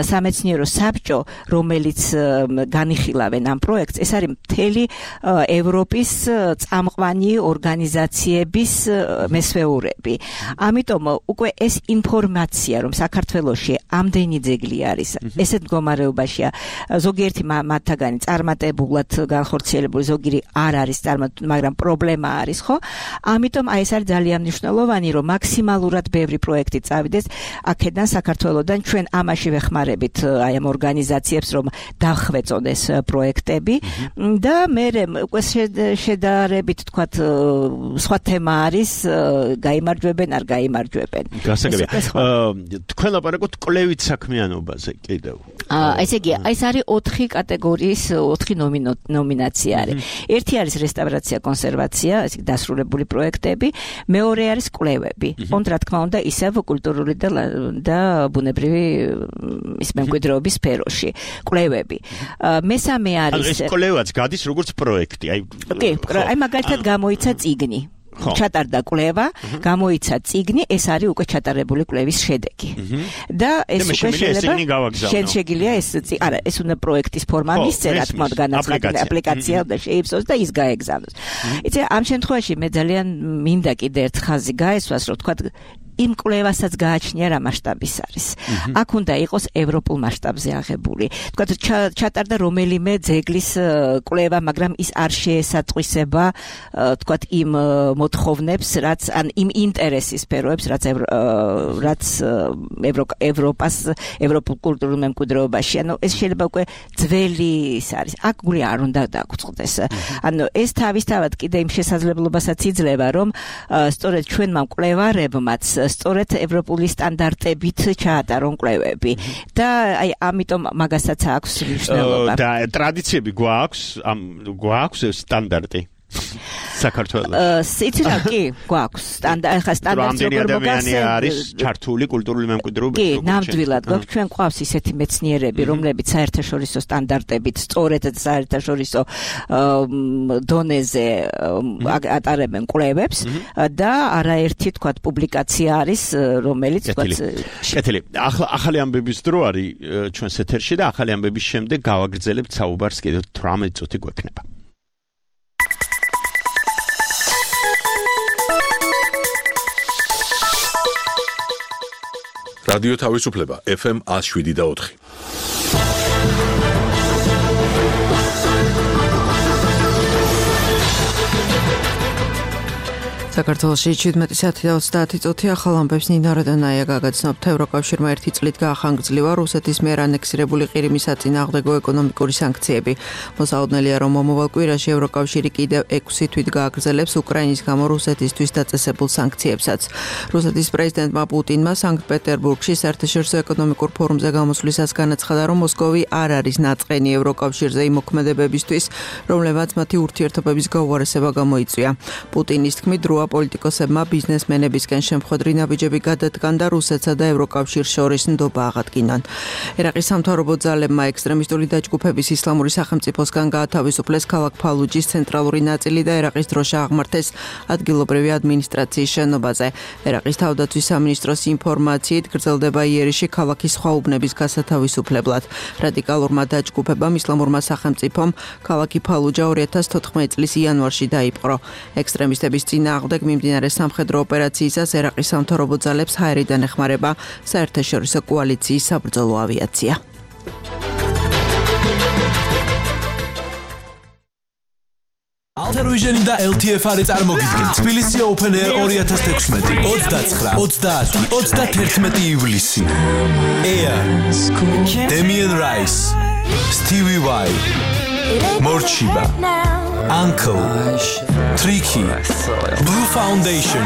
სამეცნიერო საბჭო, რომელიც განიხილავენ ამ პროექტს, ეს არის მთელი ევროპის წამყვანი ორგანიზაციების მესვეურები. ამიტომ უკვე ეს ინფორმაცია, რომ საქართველოში ამდენი ძეგლი არის, ესეთ მდგომარეობაშია, ზოგიერთი მათთაგანი წარმატებულად განხორციელებული, ზოგიერთი არ არის წარმატებული, მაგრამ პრობლემა არის, ხო? ამიტომ აი ეს არის ძალიან მნიშვნელოვანი, რომ მაქსიმალურად ბევრი პროექტი წავიდეს აქედან საქართველოდან. ჩვენ ამაში ვეხმარებით აი ამ ორგანიზაციებს, რომ დახვეწონ ეს პროექტები და მე უკვე შედარებით თქვათ სხვა თემა არის, გაიმარჯვებენ, არ გაიმარჯვებენ. გასაგებია. თქვენ ლაპარაკობთ კვლევით საქმიანობაზე კიდევ. აა ესე იგი, ეს არის ოთხი კატეგორიის, ოთხი ნომინაცია არის. ერთი არის რესტავრაცია, კონსერვაცია, ეს დასრულებული პროექტები, მეორე არის კვლევები. ოღონდ რა თქმა უნდა, ისევ კულტურული და და ბუნებრივი ის მემკვიდრეობის სფეროში. კვლევები. მესამე არის ეს კვლევაც გადის როგორც პროექტი. აი კი, აი მაგალითად გამოიცა წიგნი. ჩატარდა კვლევა, გამოიცა წიგნი, ეს არის უკვე ჩატარებული კვლევის შედეგი. და ეს უკვე შეიძლება შენ შეგიძლია ეს არა, ეს უნდა პროექტის ფორმა მისცე, რა თქმა უნდა, განაცხადებული აპლიკაცია და შეიფსოს და ის გაეგზავნოს. იცი, ამ შემთხვევაში მე ძალიან მინდა კიდე ერთ ხაზი გაესვას, რომ თქვა იმ კვლევასაც გააჩნია რა მასშტაბის არის. აქ უნდა იყოს ევროპულ მასშტაბზე აღებული. თქვათ ჩატარდა რომელიმე ძეგლის კვლევა, მაგრამ ის არ შეესატყვისება თქვათ იმ მოთხოვნებს, რაც ან იმ ინტერესის სფეროებს, რაც რაც ევროპას, ევროპულ კულტურულ მემკვიდრეობაში. ანუ ეს შეიძლება უკვე ძველი ის არის. აქ გული არ უნდა დაგწყდეს. ანუ ეს თავისთავად კიდე იმ შესაძლებლობასაც იძლევა, რომ სწორედ ჩვენმა მკვლევარებმაც სწორედ ევროპული სტანდარტებით ჩაატარონ კვლევები. და აი ამიტომ მაგასაც აქვს მნიშვნელობა. და ტრადიციები გვაქვს, ამ გვაქვს სტანდარტი. საქართველოს. იცი რა კი, გვაქვს სტანდარტი, ხა სტანდარტი როგორ მოგასცემ არის ჩართული კულტურული მემკვიდრეობის. კი, ნამდვილად გვაქვს. ჩვენ გვყავს ისეთი მეცნიერები, რომლებიც საერთაშორისო სტანდარტებით, სწორედ საერთაშორისო დონეზე ატარებენ კვლევებს და არაერთი თქვათ პუბლიკაცია არის, რომელიც თქვათ კეთილი. ახლა ახალი ამბების დრო არის ჩვენს ეთერში და ახალი ამბების შემდეგ გავაგრძელებთ საუბარს კიდევ თვრამეტ წუთი გვექნება. რადიო თავისუფლება ეფ ემ one oh seven და four. საქართველოში შვიდმეტი საათი და ოცდაათი წუთი ახალ ამბებს ნინა როდანაია გაგაცნობთ. ევროკავშირმა ერთი წლით გაახანგრძლივა რუსეთის მიერ ანექსირებული ყირიმის საწინააღმდეგო ეკონომიკური სანქციები. მოსაოდნელია, რომ მომავალ კვირაში ევროკავშირი კიდევ ექვსი თვით გააგრძელებს უკრაინის გამო რუსეთისთვის დაწესებულ სანქციებსაც. რუსეთის პრეზიდენტმა პუტინმა სანქტ-პეტერბურგში საერთაშორისო ეკონომიკურ ფორუმზე გამოსვლისას განაცხადა, რომ მოსკოვი არ არის ნაწყენი ევროკავშირზე იმ მოქმედებებისთვის, რომლებმაც მათი ურთიერთობების გაუარესება გამოიწვია. პუტინის თქმით, რუა პოლიტიკოსებმა ბიზნესმენებისკენ შემხვედრი ნაბიჯები გადადგან და რუსეთსა და ევროკავშირს შორის ნდობა აღადგინონ. ერაყის სამთავრობო ძალებმა ექსტრემისტული დაჯგუფების ისლამური სახელმწიფოსგან გაათავისუფლეს ქალაქ ფალუჯის ცენტრალური ნაწილი და ერაყის დროშა აღმართეს ადგილობრივი ადმინისტრაციის შენობაზე. ერაყის თავდაცვის სამინისტროს ინფორმაციით გრძელდება იერიში ქალაქის სხვა უბნების გასათავისუფლებლად. რადიკალურმა დაჯგუფებამ ისლამურმა სახელმწიფომ ქალაქი ფალუჯა ორი ათას თოთხმეტი წლის იანვარში დაიპყრო. ექსტრემისტების წინააღმდეგ მიმდინარე სამხედრო ოპერაციისას ერაყის სამთავრობო ძალებს ჰაერიდან ეხმარება საერთაშორისო კოალიციის საბრძოლო ავიაცია. Alter Vision და ელ თი ეფ არის წარმოგიდგენთ თბილისი Open Air twenty sixteen ოცდაცხრა, ოცდაათი, ოცდათერთმეტი ივლისი. Air, Damien Rice, Stevie Vai, Morchiba, Uncle, Tricky, Blue Foundation,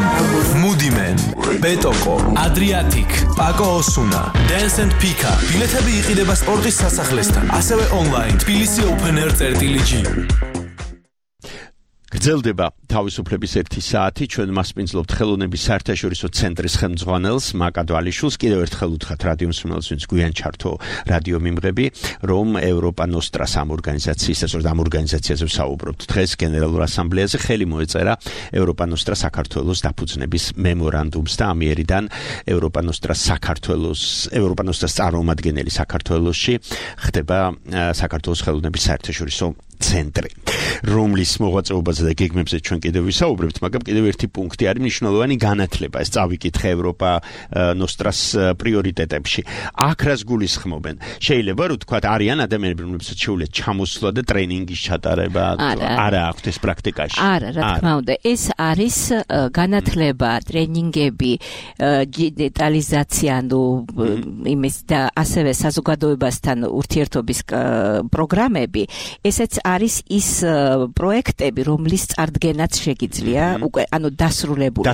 Moody Man, Betoko, Adriatic, Paco Osuna, Dance and Pika. ბილეთები იყიდება სპორტის სასახლესთან, ასევე online თბილისი Open Air წერტილი-G. გრძელდება თავისუფლების ერთი საათი. ჩვენ მასპინძლობთ ხელოვნების საერთაშორისო ცენტრის ხელმძღვანელს მაკად ვალიშვილს. კიდევ ერთხელ უთხრათ რადიო მსმენელს, ვინც გვიან ჩართო რადიო მიმღები, რომ ევროპა ნოსტრას ამ ორგანიზაციის, ასე რომ ამ ორგანიზაციაზე ვსაუბრობთ. დღეს გენერალურ ასამბლეაზე ხელი მოეწერა ევროპა ნოსტრა საქართველოს დაფუძნების მემორანდუმს და ამიერიდან ევროპა ნოსტრა საქართველოს, ევროპა ნოსტრას წარმომადგენელი საქართველოში ხდება საქართველოს ხელოვნების საერთაშორისო ცენტრი, რომლის მოღვაწეობაზე და გეგმებზე ჩვენ კიდევ ვისაუბრებთ, მაგრამ კიდევ ერთი პუნქტი არის მნიშვნელოვანი განათლება. ეს წავიკითხე ევროპა ნოსტრას პრიორიტეტებში. აქ რას გულისხმობენ? შეიძლება რომ თქვა არიან ადამიანები, რომლებსაც შეუძლიათ ჩამოსვლა და ტრენინგის ჩატარება, არა აქვთ ეს პრაქტიკაში. არა, რა თქმა უნდა, ეს არის განათლება, ტრენინგები, დიჯიტალიზაცია, ნუ იმის და ასევე საზოგადოებასთან ურთიერთობის პროგრამები. ესეც არის ის პროექტები, რომლის წარდგენაც შეგიძლია უკვე, ანუ დასრულებული.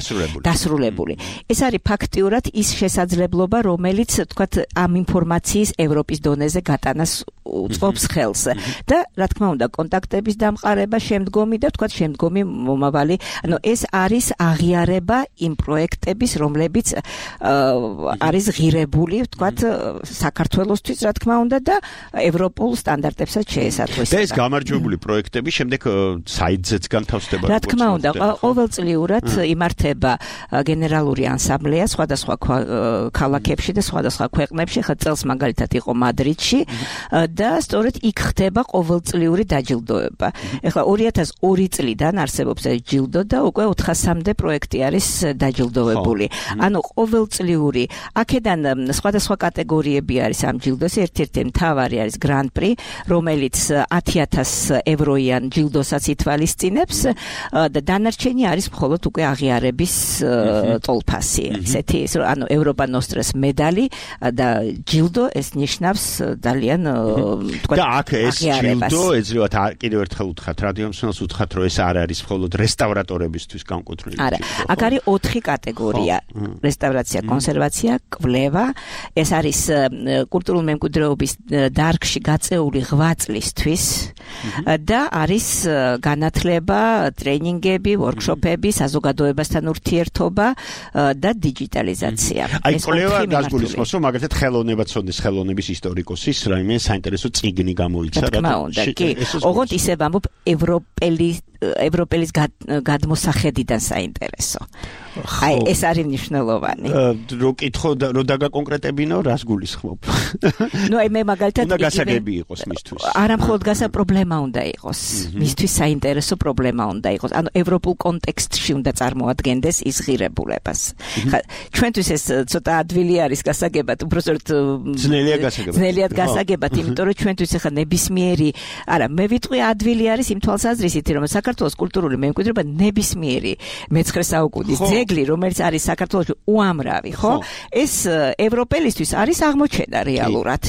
დასრულებული. ეს არის ფაქტიურად ის შესაძლებლობა, რომელიც თქვათ ამ ინფორმაციის ევროპის დონეზე გატანას უწყობს ხელს. და რა თქმა უნდა, კონტაქტების დამყარება შემდგომი და თქვათ შემდგომი მომავალი, ანუ ეს არის აღიარება იმ პროექტების, რომლებიც არის ღირებული, თქვათ საქართველოსთვის, რა თქმა უნდა და ევროპულ სტანდარტებსაც შეესატყვისება. ეს გამარჯვებული პროექტები შემდეგ საიტზეც განთავსდება. რა თქმა უნდა, ყოველწლიურად იმართება გენერალური ასამბლეა სხვადასხვა ქალაქებში და სხვადასხვა ქვეყნებში. ხა წელს მაგალითად იყო მადრიდში და სწორედ იქ ხდება ყოველწლიური დაჯილდოება. ეხლა ორი ათას ორი წლიდან არსებობს ეს ჯილდო და უკვე ოთხასამდე პროექტი არის დაჯილდოვებული. ანუ ყოველწლიური აქედან სხვადასხვა კატეგორიები არის ამ ჯილდოს. ერთ-ერთი მთავარი არის გრან-პრი, რომელიც ათი ათას ევროიან ჯილდოსაც ითვალისწინებს და დანარჩენი არის მხოლოდ უკვე აღიარების ტოლფასი. ესეთი ანუ ევროპა ნოსტრას медали და ჯილდო ეს ნიშნავს ძალიან თქვა და აქ ეს ჯილდო ეძრივათ კიდევ ერთხელ უთხრათ რადიო მსმენელს უთხრათ რომ ეს არ არის მხოლოდ რესტავრატორებისთვის განკუთვნილი არა აქ არის ოთხი კატეგორია რესტავრაცია კონსერვაცია კვლევა ეს არის კულტურულ მემკვიდრეობის დარგში გაწეული ღვაწლისთვის და არის განათლება ტრენინგები ვორქშოპები საზოგადოებასთან ურთიერთობა და დიჯიტალიზაცია აი კვლევა გასგულისხმობს რომ მაგალითად ხელოვნებაცოდნის ხელოვნების ისტორიკოსის რაიმე საინტერესო წიგნი გამოიცა რა კი ოღონდ ისე ვამბობ ევროპელი ევროპელის გადმოსახედიდან საინტერესო აი ეს არის მნიშვნელოვანი რო კითხო რო დაგაკონკრეტებინო რას გულისხმობ ნუ აი მე მაგალითად უნდა გასაგები იყოს მისთვის არა მხოლოდ გასა პრობლემა უნდა იყოს მისთვის საინტერესო პრობლემა უნდა იყოს ანუ ევროპულ კონტექსტში უნდა წარმოადგენდეს ის ღირებულებას ხა ჩვენთვის ეს ცოტა ადვილი არის გასაგებად უბრალოდ ძნელია გასაგებად ძნელიად გასაგებად იმიტომ რომ ჩვენთვის ახლა ნებისმიერი არა მე ვიტყვი ადვილი არის იმ თვალსაზრისით რომ საქართველოს კულტურული მემკვიდრეობა ნებისმიერი მეცხრე საუკუნის ძეგლი რომელიც არის საქართველოში უამრავი ხო ეს ევროპელისთვის არის აღმოჩენა რეალურად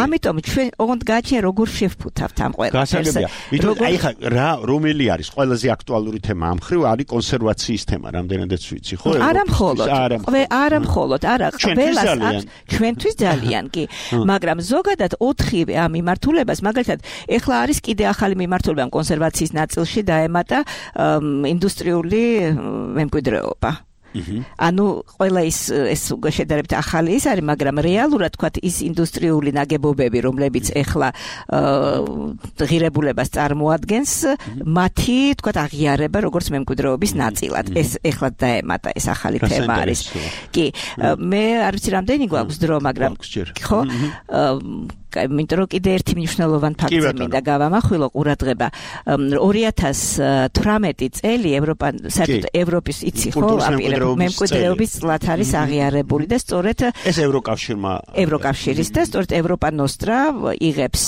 ამიტომ ჩვენ ოღონდ გაჩნია როგორ შევფუთავთ ამ ყველას გასაგებია ვიტყვი აი ხა რა რომელი არის ყველაზე აქტუალური თემა ამ ხრივ არის კონსერვაციის თემა რამდენადაც ვიცი ხო არა მხოლოდ არა მხოლოდ არა ყველას აქვს ჩვენთვის ძალიან კი მაგრამ ზოგადად ოთხივე ამ მიმართულებას მაგალითად ეხლა არის კიდე ახალი მიმართულება კონსერვაციის ნაწილში დაემატა ინდუსტრიული მემკვიდრეობა ანუ ყველა ის ეს შედარებით ახალი ის არის მაგრამ რეალურად თქვა ის ინდუსტრიული ნაგებობები რომლებიც ეხლა ღირებულებას წარმოადგენს მათი თქვა აღიარება როგორც მემკვიდრეობის ნაწილად ეს ეხლა დაემატა ეს ახალი თემა არის კი მე არ ვიცი რამდენი გვაქვს დრო მაგრამ ხო იმიტომ რომ კიდე ერთი მნიშვნელოვანი ფაქტი მინდა გავამახვილო ყურადღება ორი ათას თვრამეტი წელი ევროპა საერთოდ ევროპის იცი ხო მემკვიდრეობის წლად არის აღიარებული და სწორედ ეს ევროკავშირმა ევროკავშირის და სწორედ ევროპა ნოსტრა იღებს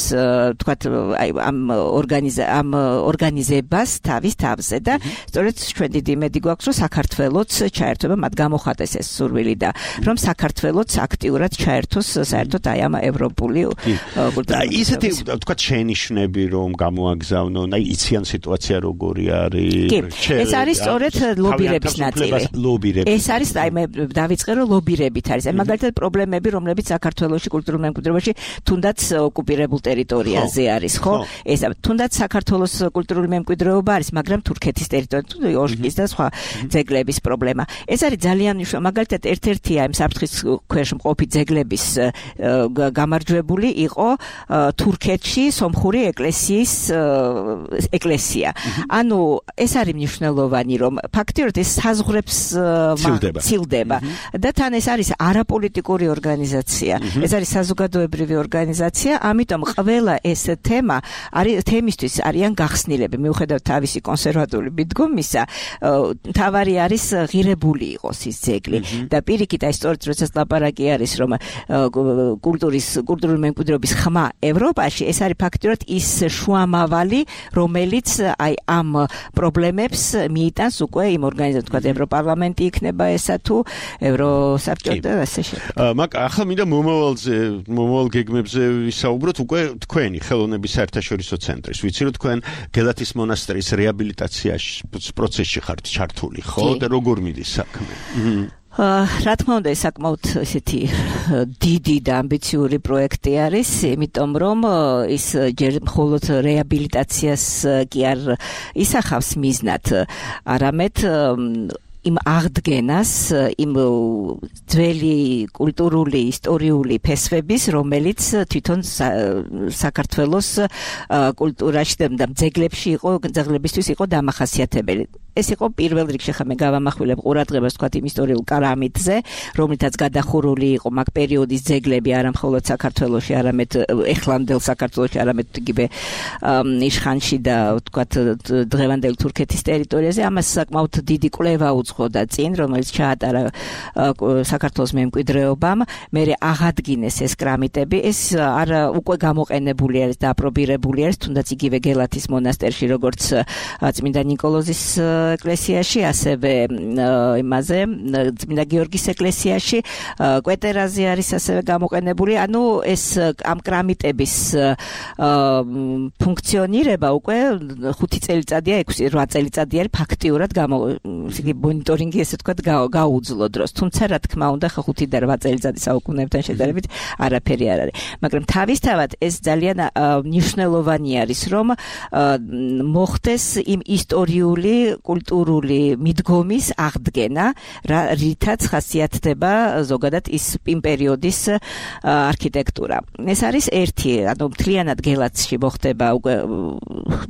თქვათ აი ამ ორგანიზა ამ ორგანიზებას თავის თავზე და სწორედ ჩვენ დიდი იმედი გვაქვს რომ საქართველოც ჩაერთვება მათ გამოხატეს ეს სურვილი და რომ საქართველოც აქტიურად ჩაერთოს საერთოდ აი ამ ევროპული და ისეთი თქვა შენიშვნები რომ გამოაგზავნონ აი იციან სიტუაცია როგორი არის ეს არის სწორედ ლობირების ნაწილი ეს არის აი მე დავიწყე რომ ლობირებით არის აი მაგალითად პრობლემები რომლებიც საქართველოში კულტურულ მემკვიდრეობაში თუნდაც ოკუპირებულ ტერიტორიაზე არის ხო ეს თუნდაც საქართველოს კულტურული მემკვიდრეობა არის მაგრამ თურქეთის ტერიტორია ორშკის და სხვა ძეგლების პრობლემა ეს არის ძალიან მნიშვნელოვანი მაგალითად ერთ-ერთი აი საფრთხის ქვეშ მყოფი ძეგლების გამარჯვებული იყო თურქეთში სომხური ეკლესიის ეკლესია. ანუ ეს არის მნიშვნელოვანი რომ ფაქტიურად ეს საზღვრებს ცილდება და თან ეს არის არაპოლიტიკური ორგანიზაცია. ეს არის საზოგადოებრივი ორგანიზაცია, ამიტომ ყველა ეს თემა არის თემისთვის არიან გახსნილები მიუხედავად თავისი კონსერვატული მიდგომისა. თავარი არის ღირებული იყოს ის ძეგლი და პირიქით აი სწორედ როდესაც ლაპარაკი არის რომ კულტურის კულტურული მემკვიდრეობის ხმა ევროპაში ეს არის ფაქტიურად ის შუამავალი რომელიც აი ამ პრობლემებს მიიტანს უკვე იმ ორგანიზაციას თქვა ევროპარლამენტი იქნება ესა თუ ევროსაბჭო და ასე შემდეგ. მაგ ახლა მინდა მომავალზე მომავალ გეგმებზე ვისაუბროთ უკვე თქვენი ხელოვნების საერთაშორისო ცენტრის ვიცი რომ თქვენ გელათის მონასტრის რეაბილიტაციაში პროცესში ხართ ჩართული ხო და როგორ მიდის საქმე? რა თქმა უნდა ეს საკმაოდ ესეთი დიდი და ამბიციური პროექტი არის, იმიტომ რომ ის ჯერ მხოლოდ რეაბილიტაციას კი არ ისახავს მიზნად, არამედ იმ აღდგენას, იმ ძველი კულტურული, ისტორიული ფესვების, რომელიც თვითონ საქართველოს კულტურაში და ძეგლებში იყო, ძეგლებისთვის იყო დამახასიათებელი. ეს იყო პირველ რიგში ხა მე გავამახვილებ ყურადღებას თქვა იმ ისტორიულ კრამიტზე, რომლითაც გადახურული იყო მაგ პერიოდის ძეგლები არა მხოლოდ საქართველოში, არამედ ეხლანდელ საქართველოში, არამედ იგივე იშხანში და თქვა დღევანდელ თურქეთის ტერიტორიაზე. ამას საკმაოდ დიდი კვლევა უძღოდა წინ, რომელიც ჩაატარა საქართველოს მემკვიდრეობამ, მერე აღადგინეს ეს კრამიტები. ეს არა უკვე გამოყენებული არის და აპრობირებული არის, თუნდაც იგივე გელათის მონასტერში, როგორც წმინდა ნიკოლოზის ეკლესიაში, ასევე იმაზე წმინდა გიორგის ეკლესიაში, კვეტერაზე არის ასევე გამოყენებული. ანუ ეს ამ კრამიტების ფუნქციონირება უკვე ხუთი წელიწადია, ექვსი რვა წელიწადი არის ფაქტიურად გამო იგი მონიტორინგი ესე თქვა გაუძლო დროს. თუმცა რა თქმა უნდა ხუთი და რვა წელიწადი საუკუნეებთან შედარებით არაფერი არ არის. მაგრამ თავისთავად ეს ძალიან მნიშვნელოვანი არის, რომ მოხდეს იმ ისტორიული, კულტურული მიდგომის აღდგენა, რითაც ხასიათდება ზოგადად ის იმ პერიოდის არქიტექტურა. ეს არის ერთი, ანუ მთლიანად გელათში მოხდება უკვე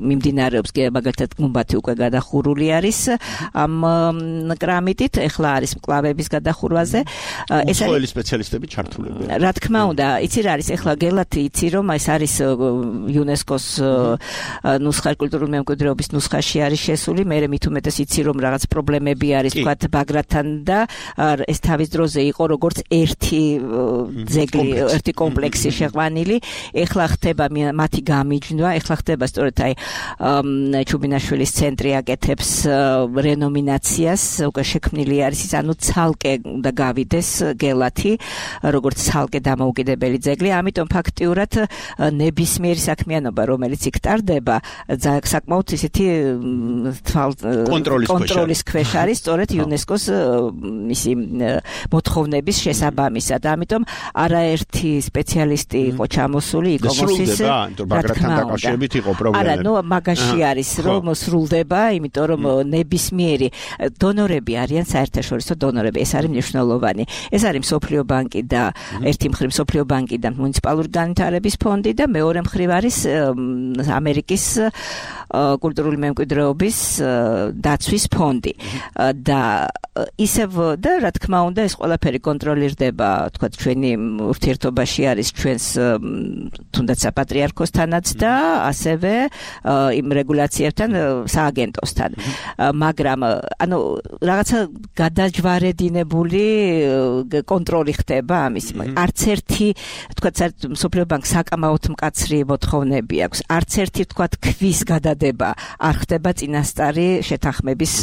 მიმდინარეობს მაგალითად გუმბათი უკვე გადახურული არის ამ კრამიტით, ეხლა არის მკლავების გადახურვაზე. ეს არის სპეციალისტები ჩართულები. რა თქმა უნდა, იცი რა არის ეხლა გელათი, იცი რომ ეს არის იუნესკოს ნუსხა კულტურული მემკვიდრეობის ნუსხაში არის შესული, მე მით უმეტეს იცი რომ რაღაც პრობლემები არის თქვათ ბაგრატთან და ეს თავის დროზე იყო როგორც ერთი ძეგლი, ერთი კომპლექსი შეყვანილი. ეხლა ხდება მათი გამიჯნვა, ეხლა ხდება სწორედ აი ჩუბინაშვილის ცენტრი აკეთებს რენომინაციას, უკვე შექმნილი არის ის, ანუ ცალკე უნდა გავიდეს გელათი, როგორც ცალკე დამოუკიდებელი ძეგლი, ამიტომ ფაქტიურად ნებისმიერი საქმიანობა, რომელიც იქ ტარდება, საკმაოდ ისეთი კონტროლის ქვეშ არის, სწორედ იუნესკოს ისი მოთხოვნების შესაბამისად. ამიტომ არაერთი სპეციალისტი იყო ჩამოსული იკომოსის. ბაგრატთან დაკავშირებით იყო პრობლემა. არა, ნუ მაგაში არის, რომ სრულდება, იმიტომ რომ ნებისმიერი დონორები არიან საერთაშორისო დონორები, ეს არის მნიშვნელოვანი. ეს არის მსოფლიო ბანკი და ერთი მხრივ მსოფლიო ბანკი და მუნიციპალური განვითარების ფონდი და მეორე მხრივ არის ამერიკის კულტურული მემკვიდრეობის დაცვის ფონდი. და ისევ და რა თქმა უნდა ეს ყველაფერი კონტროლირდება, თქვა ჩვენი ურთიერთობაში არის ჩვენს თუნდაც საპატრიარქოსთანაც და ასევე იმ რეგულაციებთან სააგენტოსთან. მაგრამ ანუ რაღაცა გადაჯვარედინებული კონტროლი ხდება ამის. არც ერთი თქვა მსოფლიო ბანკს საკამაოდ მკაცრი მოთხოვნები აქვს. არც ერთი თქვა ქვის გადადება არ ხდება წინასწარი შეთანხმების.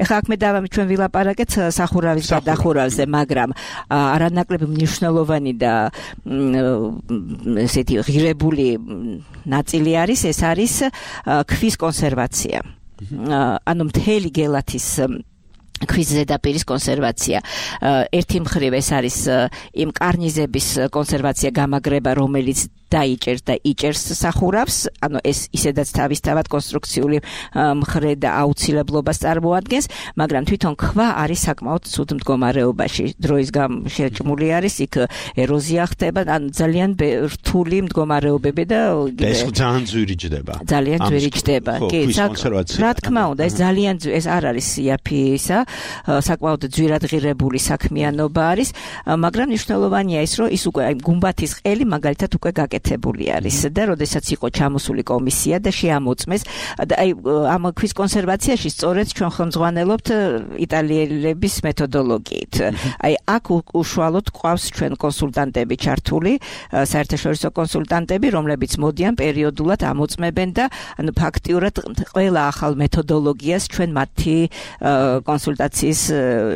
ეხლა აქ მე დავამი ჩვენ ვილაპარაკეთ სახურავის გადახურავზე, მაგრამ არანაკლები მნიშვნელოვანი და ესეთი ღირებული ნაწილი არის, ეს არის ქვის კონსერვაცია. ანუ მთელი გელათის ქვის ზედაპირის კონსერვაცია. ერთი მხრივ ეს არის იმ კარნიზების კონსერვაცია, გამაგრება, რომელიც დაიჭერს და იჭერს სახურავს, ანუ ეს ისედაც თავისთავად კონსტრუქციული მხრე და აუცილებლობას წარმოადგენს, მაგრამ თვითონ ქვა არის საკმაოდ ცუდ მდგომარეობაში. დროის გამო შეჭმული არის, იქ ეროზია ხდება, ანუ ძალიან რთული მდგომარეობები და ეს ძალიან ძვირი ჯდება. ძალიან ძვირი ჯდება. კი, რა თქმა უნდა, ეს ძალიან ეს არ არის იაფი ისა, საკმაოდ ძვირადღირებული საქმიანობა არის, მაგრამ მნიშვნელოვანია ის, რომ ის უკვე აი გუმბათის ყელი მაგალითად უკვე გაკეთებული არის და როდესაც იყო ჩამოსული კომისია და შეამოწმეს და აი ამ ქვის კონსერვაციაში სწორედ ჩვენ ხელმძღვანელობთ იტალიელების მეთოდოლოგიით. აი აქ უშუალოდ ყავს ჩვენ კონსულტანტები ჩართული, საერთაშორისო კონსულტანტები, რომლებიც მოდიან პერიოდულად ამოწმებენ და ანუ ფაქტიურად ყველა ახალ მეთოდოლოგიას ჩვენ მათი კონსულტაციის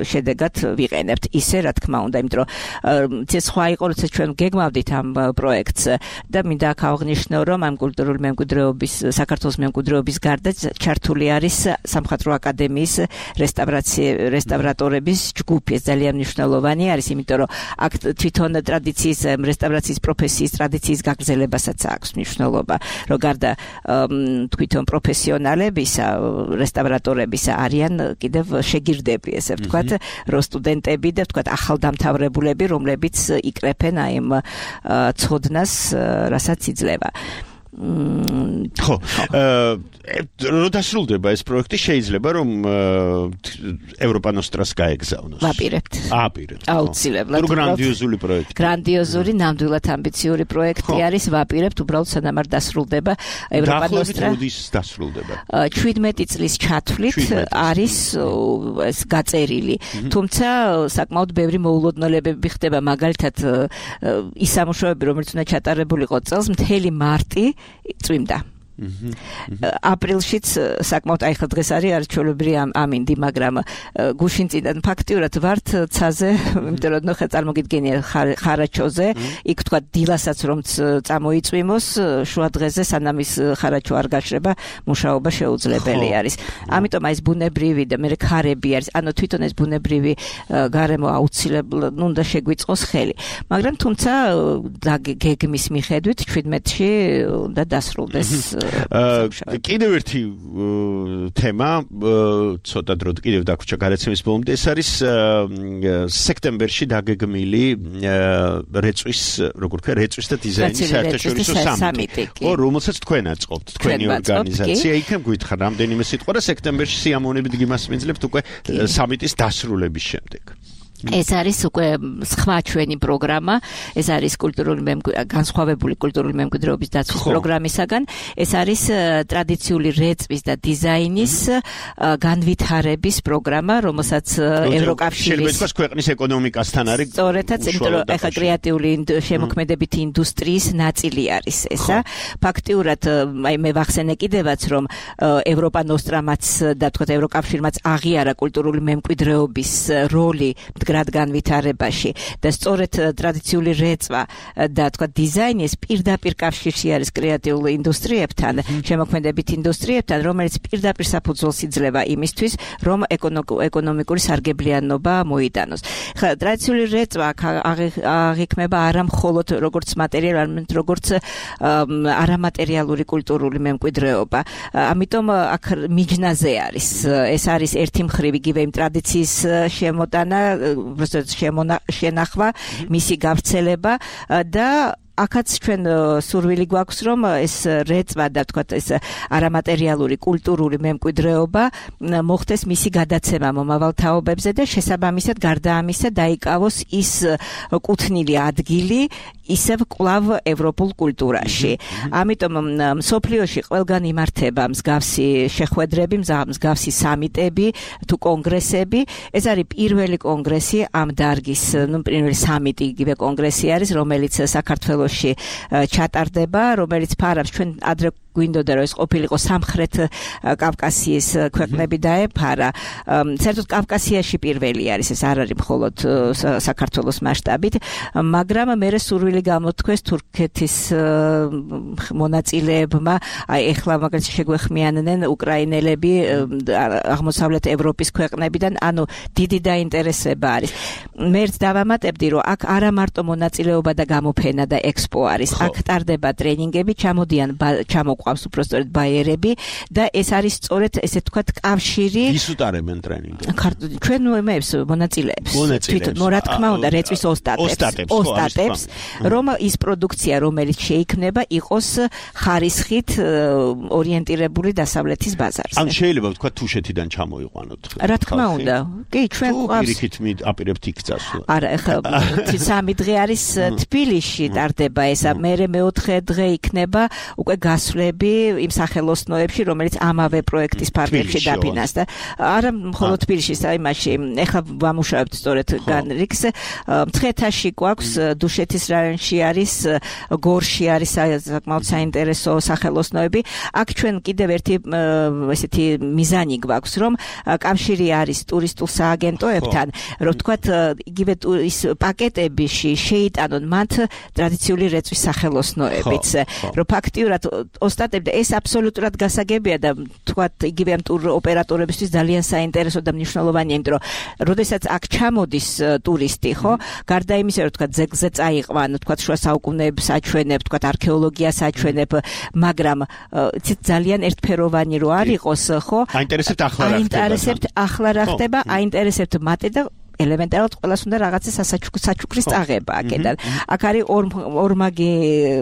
შედეგად ვიყენებთ. ისე რა თქმა უნდა, იმიტომ რომ ეს სხვა იყო, როცა ჩვენ გეგმავდით ამ პროექტს და მინდა აქ აღნიშნო, რომ ამ კულტურული მემკვიდრეობის საქართველოს მემკვიდრეობის გარდა ჩართული არის სამხატვრო აკადემიის რესტავრატორების ჯგუფი. ეს ძალიან მნიშვნელოვანი არის, იმიტომ რომ აქ თვითონ ტრადიციის რესტავრაციის პროფესიის ტრადიციის გაგრძელებასაც აქვს მნიშვნელობა, რომ გარდა თვითონ პროფესიონალებისა, რესტავრატორებისა არიან კიდევ შეგირდები, ესე ვთქვათ, რომ სტუდენტები და ვთქვათ ახალდამთავრებულები, რომლებიც იკრეფენ აი ამ ცოდნას, რასაც იძლევა. ხო, რო დასრულდება ეს პროექტი, შეიძლება რომ ევროპა ნოსტრას გაეგზავნოს. ვაპირებთ. აპირებთ. აუცილებლად. გრანდიოზული პროექტი. გრანდიოზული, ნამდვილად ამბიციური პროექტი არის, ვაპირებთ, უბრალოდ სანამ არ დასრულდება ევროპა ნოსტრა. როდის დასრულდება? შვიდმეტი წლის ჩათვლით არის ეს გაწერილი. თუმცა საკმაოდ ბევრი მოულოდნელებები ხდება, მაგალითად ის სამუშაოები, რომელიც უნდა ჩატარებულიყო წელს, მთელი მარტი წვიმდა. აპრილშიც საკმაოდ აი ხა დღეს არის არჩეულებრივი ამინდი, მაგრამ გუშინწიდან ფაქტიურად ვართ ცაზე, იმიტომ რომ ხა წარმოგიდგენია ხარაჩოზე, იქ თქვა დილასაც რომ წამოიწვიმოს, შუა დღეზე სანამ ის ხარაჩო არ გაშრება, მუშაობა შეუძლებელი არის. ამიტომ აი ეს ბუნებრივი და მე ქარები არის, ანუ თვითონ ეს ბუნებრივი გარემო აუცილებლად უნდა შეგვიწყოს ხელი. მაგრამ თუმცა გეგმის მიხედვით შვიდმეტში უნდა დასრულდეს კიდევ ერთი თემა, ცოტა დრო კიდევ დაგვრჩა გადაცემის ბოლომდე, ეს არის სექტემბერში დაგეგმილი რეწვის, როგორ ვქნა, რეწვის და დიზაინის საერთაშორისო სამიტი. ო, რომელსაც თქვენ აწყობთ, თქვენი ორგანიზაცია. იქნებ გითხრა რამდენიმე სიტყვა და სექტემბერში სიამოვნებით გიმასპინძლებთ უკვე სამიტის დასრულების შემდეგ. ეს არის უკვე სხვა ჩვენი პროგრამა, ეს არის კულტურული განსხვავებული კულტურული მემკვიდრეობის დაცვის პროგრამისაგან, ეს არის ტრადიციული რეწვის და დიზაინის განვითარების პროგრამა, რომელსაც ევროკავშირის შეიძლება თქვას ქვეყნის ეკონომიკასთან არის. სწორედაც, იმიტომ რომ ეხა კრეატიული შემოქმედებითი ინდუსტრიის ნაწილი არის ესა. ფაქტიურად, აი მე ვახსენე კიდევაც, რომ ევროპა ნოსტრამაც და თქვათ ევროკავშირმაც აღიარა კულტურული მემკვიდრეობის როლი მდგრად განვითარებაში და სწორედ ტრადიციული რეწვა და თქვა დიზაინი ეს პირდაპირ კავშირში არის კრეატიულ ინდუსტრიებთან, შემოქმედებით ინდუსტრიებთან, რომელიც პირდაპირ საფუძველს იძლევა იმისთვის, რომ ეკონომიკური სარგებლიანობა მოიტანოს. ხა ტრადიციული რეწვა აღიქმება არა მხოლოდ როგორც მატერიალური, არამედ როგორც არამატერიალური კულტურული მემკვიდრეობა. ამიტომ აქ მიჯნაზე არის. ეს არის ერთი მხრივ იგივე იმ ტრადიციის შემოტანა, შენახვა, მისი გავრცელება და აქაც ჩვენ სურვილი გვაქვს, რომ ეს რეწვა და თქვათ ეს არამატერიალური კულტურული მემკვიდრეობა მოხდეს მისი გადაცემა მომავალ თაობებზე და შესაბამისად გარდა ამისა დაიკავოს ის კუთვნილი ადგილი ისევ კვლავ ევროპულ კულტურაში. ამიტომ მსოფლიოში ყველგან იმართება მსგავსი შეხვედრები, მსგავსი სამიტები თუ კონგრესები. ეს არის პირველი კონგრესი ამ დარგის, ნუ პირველი სამიტი იგივე კონგრესი არის, რომელიც საქართველოში ჩატარდება, რომელიც ფარავს ჩვენ ადრე გვინდოდა რომ ეს ყოფილიყო სამხრეთ კავკასიის ქვეყნები დაეფარა. საერთოდ კავკასიაში პირველი არის, ეს არ არის მხოლოდ საქართველოს მასშტაბით, მაგრამ მე სურვილი გამოთქვეს თურქეთის მონაწილეებმა, აი ეხლა მაგალითად შეგვეხმიანნენ უკრაინელები აღმოსავლეთ ევროპის ქვეყნებიდან, ანუ დიდი დაინტერესება არის. მერც დავამატებდი, რომ აქ არა მარტო მონაწილეობა და გამოფენა და ექსპო არის, აქ ტარდება ტრენინგები, ჩამოდიან ჩამო ყავს უბრალოდ ბაიერები და ეს არის სწორედ ესე თქვა კავშირი. ვის უტარებენ ტრენინგებს? ჩვენ მეებს მონაწილეებს. თვითონ რა თქმა უნდა რეწვის ოსტატებს, ოსტატებს, რომ ის პროდუქცია, რომელიც შეიქმნება, იყოს ხარისხით ორიენტირებული დასავლეთის ბაზარზე. ან შეიძლება ვთქვა თუშეთიდან ჩამოიყვანოთ. რა თქმა უნდა. კი, ჩვენ ყავს. პირიქით აპირებთ იქ წასვლა. არა, ეხლა სამი დღე არის თბილისში ტარდება ესა, მერე მეოთხე დღე იქნება უკვე გასვლები იმ სახელოსნოებში, რომელიც ამავე პროექტის პარტნიორებში დაფინანსდა. არა მხოლოდ თბილისში, საიმაში, ეხლა ვამუშავებთ სწორედ განრიგს. მცხეთაში გვაქვს, დუშეთის რაიონში არის, გორში არის საკმაოდ საინტერესო სახელოსნოები. აქ ჩვენ კიდევ ერთი ესეთი მიზანი გვაქვს, რომ კავშირი არის ტურისტულ სააგენტოებთან, რომ თქვათ იგივე ის პაკეტებში შეიტანონ მათ ტრადიციული რეწვის სახელოსნოებიც, რომ ფაქტიურად ოსტატები და ეს აბსოლუტურად გასაგებია და თქვათ იგივე ამ ტურ ოპერატორებისთვის ძალიან საინტერესო და მნიშვნელოვანია, იმიტომ რომ როდესაც აქ ჩამოდის ტურისტი, ხო, გარდა იმისა, რომ თქვათ ზეგზე წაიყვან, თქვათ შუა საუკუნეებს აჩვენებ, თქვათ არქეოლოგიას აჩვენებ, მაგრამ ძალიან ერთფეროვანი რო არ იყოს, ხო? აინტერესებთ ახლა რა ხდება. აინტერესებთ ახლა რა ხდება, აინტერესებთ მათე და ელემენტარულად ყველას უნდა რაღაცა საჩუქრის წაღება აქედან. აქ არის ორმაგი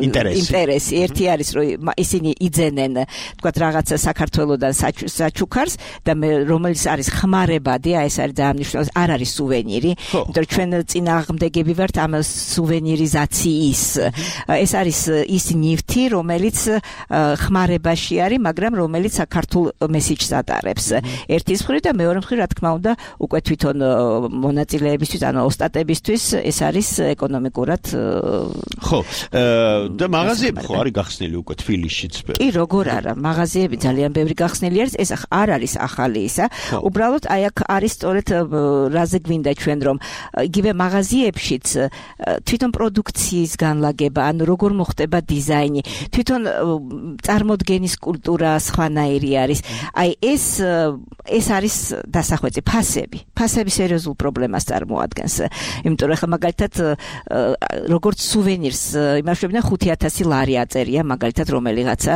ინტერესი. ერთი არის რომ ისინი იძენენ თქვათ რაღაცა საქართველოსდან საჩუქარს და რომელიც არის ხმარებადი, აი ეს არის ძალიან მნიშვნელოვანი, არ არის სუვენირი, იმიტომ რომ ჩვენ წინააღმდეგები ვართ ამ სუვენირიზაციის. ეს არის ის ნივთი, რომელიც ხმარებაში არის, მაგრამ რომელიც საქართველოს მესიჯს ატარებს. ერთის მხრივ და მეორე მხრივ, რა თქმა უნდა, უკვე თვითონ მონაწილეებისთვის, ანუ ოსტატებისთვის ეს არის ეკონომიკურად ხო, და მაღაზიები ხო არის გახსნილი უკვე თბილისშიც? კი, როგორ არა, მაღაზიები ძალიან ბევრი გახსნილი არის, ეს არ არის ახალი ისა. უბრალოდ აი აქ არის სწორედ რაზე გვინდა ჩვენ რომ იგივე მაღაზიებშიც თვითონ პროდუქციის განლაგება, ანუ როგორ მოხდება დიზაინი, თვითონ წარმოდგენის კულტურა სხვანაირი არის. აი ეს ეს არის დასახვეწი ფასები. ფასები სერიოზულ პრობლემას წარმოადგენს. იმიტომ რომ ახლა მაგალითად როგორც სუვენირს იმაშვებიდან ხუთი ათასი ლარი აწერია მაგალითად რომელიღაცა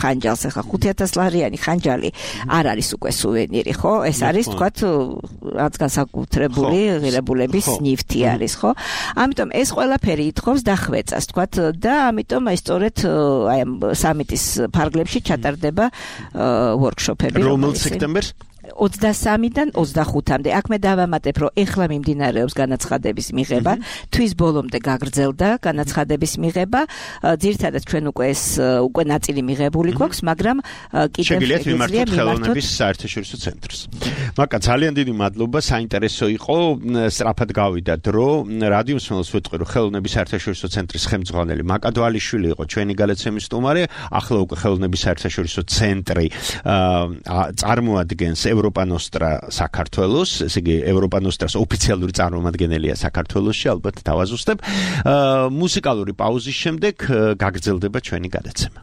ხანჯალს. ახლა ხუთი ათასი ლარიანი ხანჯალი არ არის უკვე სუვენირი, ხო? ეს არის თქვათ რაც განსაკუთრებული ღირებულების ნივთი არის, ხო? ამიტომ ეს ყველაფერი ითხოვს დახვეწას, თქვათ და ამიტომ აი სწორედ აი ამ სამიტის ფარგლებში ჩატარდება ვორქშოპები. რომელ სექტემბერს? ოცდასამიდან ოცდახუთამდე. აქ მე დავამატებ, რომ ეხლა მიმდინარეობს განაცხადების მიღება, თვის ბოლომდე გაგრძელდა განაცხადების მიღება. ძირითადად ჩვენ უკვე ეს უკვე ნაწილი მიღებული გვაქვს, მაგრამ კიდევ შეგიძლიათ მიმართოთ ხელოვნების საერთაშორისო ცენტრს. მაკა ძალიან დიდი მადლობა, საინტერესო იყო, სწრაფად გავიდა დრო. რადიო მსმენელს ვეთქვი, რომ ხელოვნების საერთაშორისო ცენტრის ხელმძღვანელი მაკა დვალიშვილი იყო ჩვენი გადაცემის სტუმარი. ახლა უკვე ხელოვნების საერთაშორისო ცენტრი წარმოადგენს ევროპა ნოსტრა საქართველოს, ესე იგი ევროპა ნოსტრას ოფიციალური წარმომადგენელია საქართველოში, ალბათ დავაზუსტებ. მუსიკალური პაუზის შემდეგ გაგრძელდება ჩვენი გადაცემა.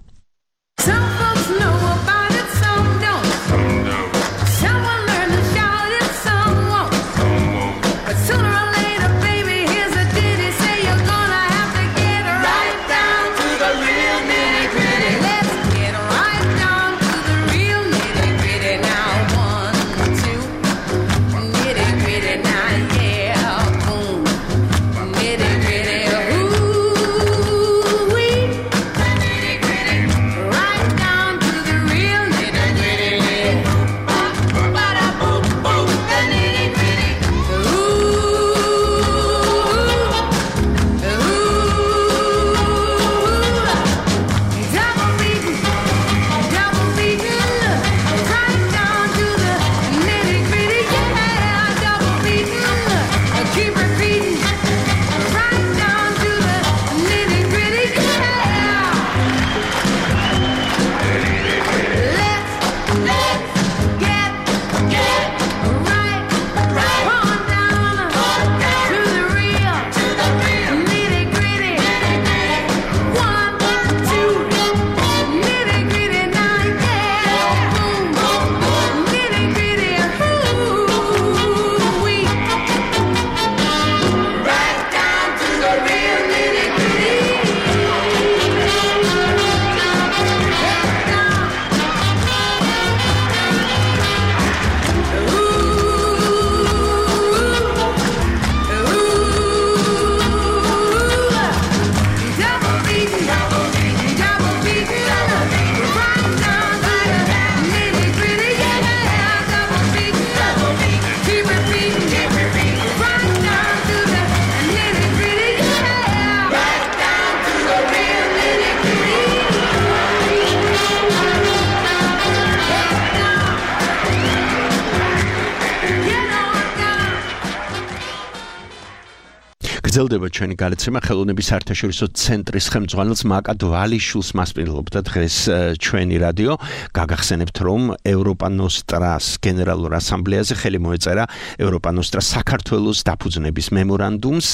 გრძელდება ჩვენი გადაცემა ხელოვნების საერთაშორისო ცენტრის ხელმძღვანელს მაკა დვალიშვილს მასპინძლობდა დღეს ჩვენი რადიო. გაგახსენებთ, რომ ევროპა ნოსტრას გენერალურ ასამბლეაზე ხელი მოეწერა ევროპა ნოსტრას საქართველოს დაფუძნების მემორანდუმს.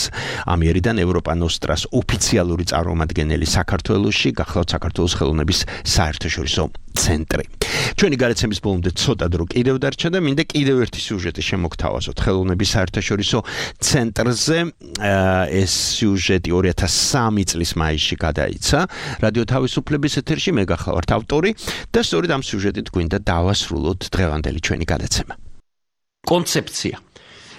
ამიერიდან ევროპა ნოსტრას ოფიციალური წარმომადგენელი საქართველოში გახლავთ საქართველოს ხელოვნების საერთაშორისო ცენტრი. ჩვენი გადაცემის ბოლომდე ცოტა დრო კიდევ დარჩა და მინდა კიდევ ერთი სიუჟეტი შემოგთავაზოთ ხელოვნების საერთაშორისო ცენტრზე. ეს სიუჟეტი ორი ათას სამი წლის მაისში გადაიცა რადიო თავისუფლების ეთერში. მე გახლავართ ავტორი და სწორედ ამ სიუჟეტით გვინდა დავასრულოთ დღევანდელი ჩვენი გადაცემა. კონცეფცია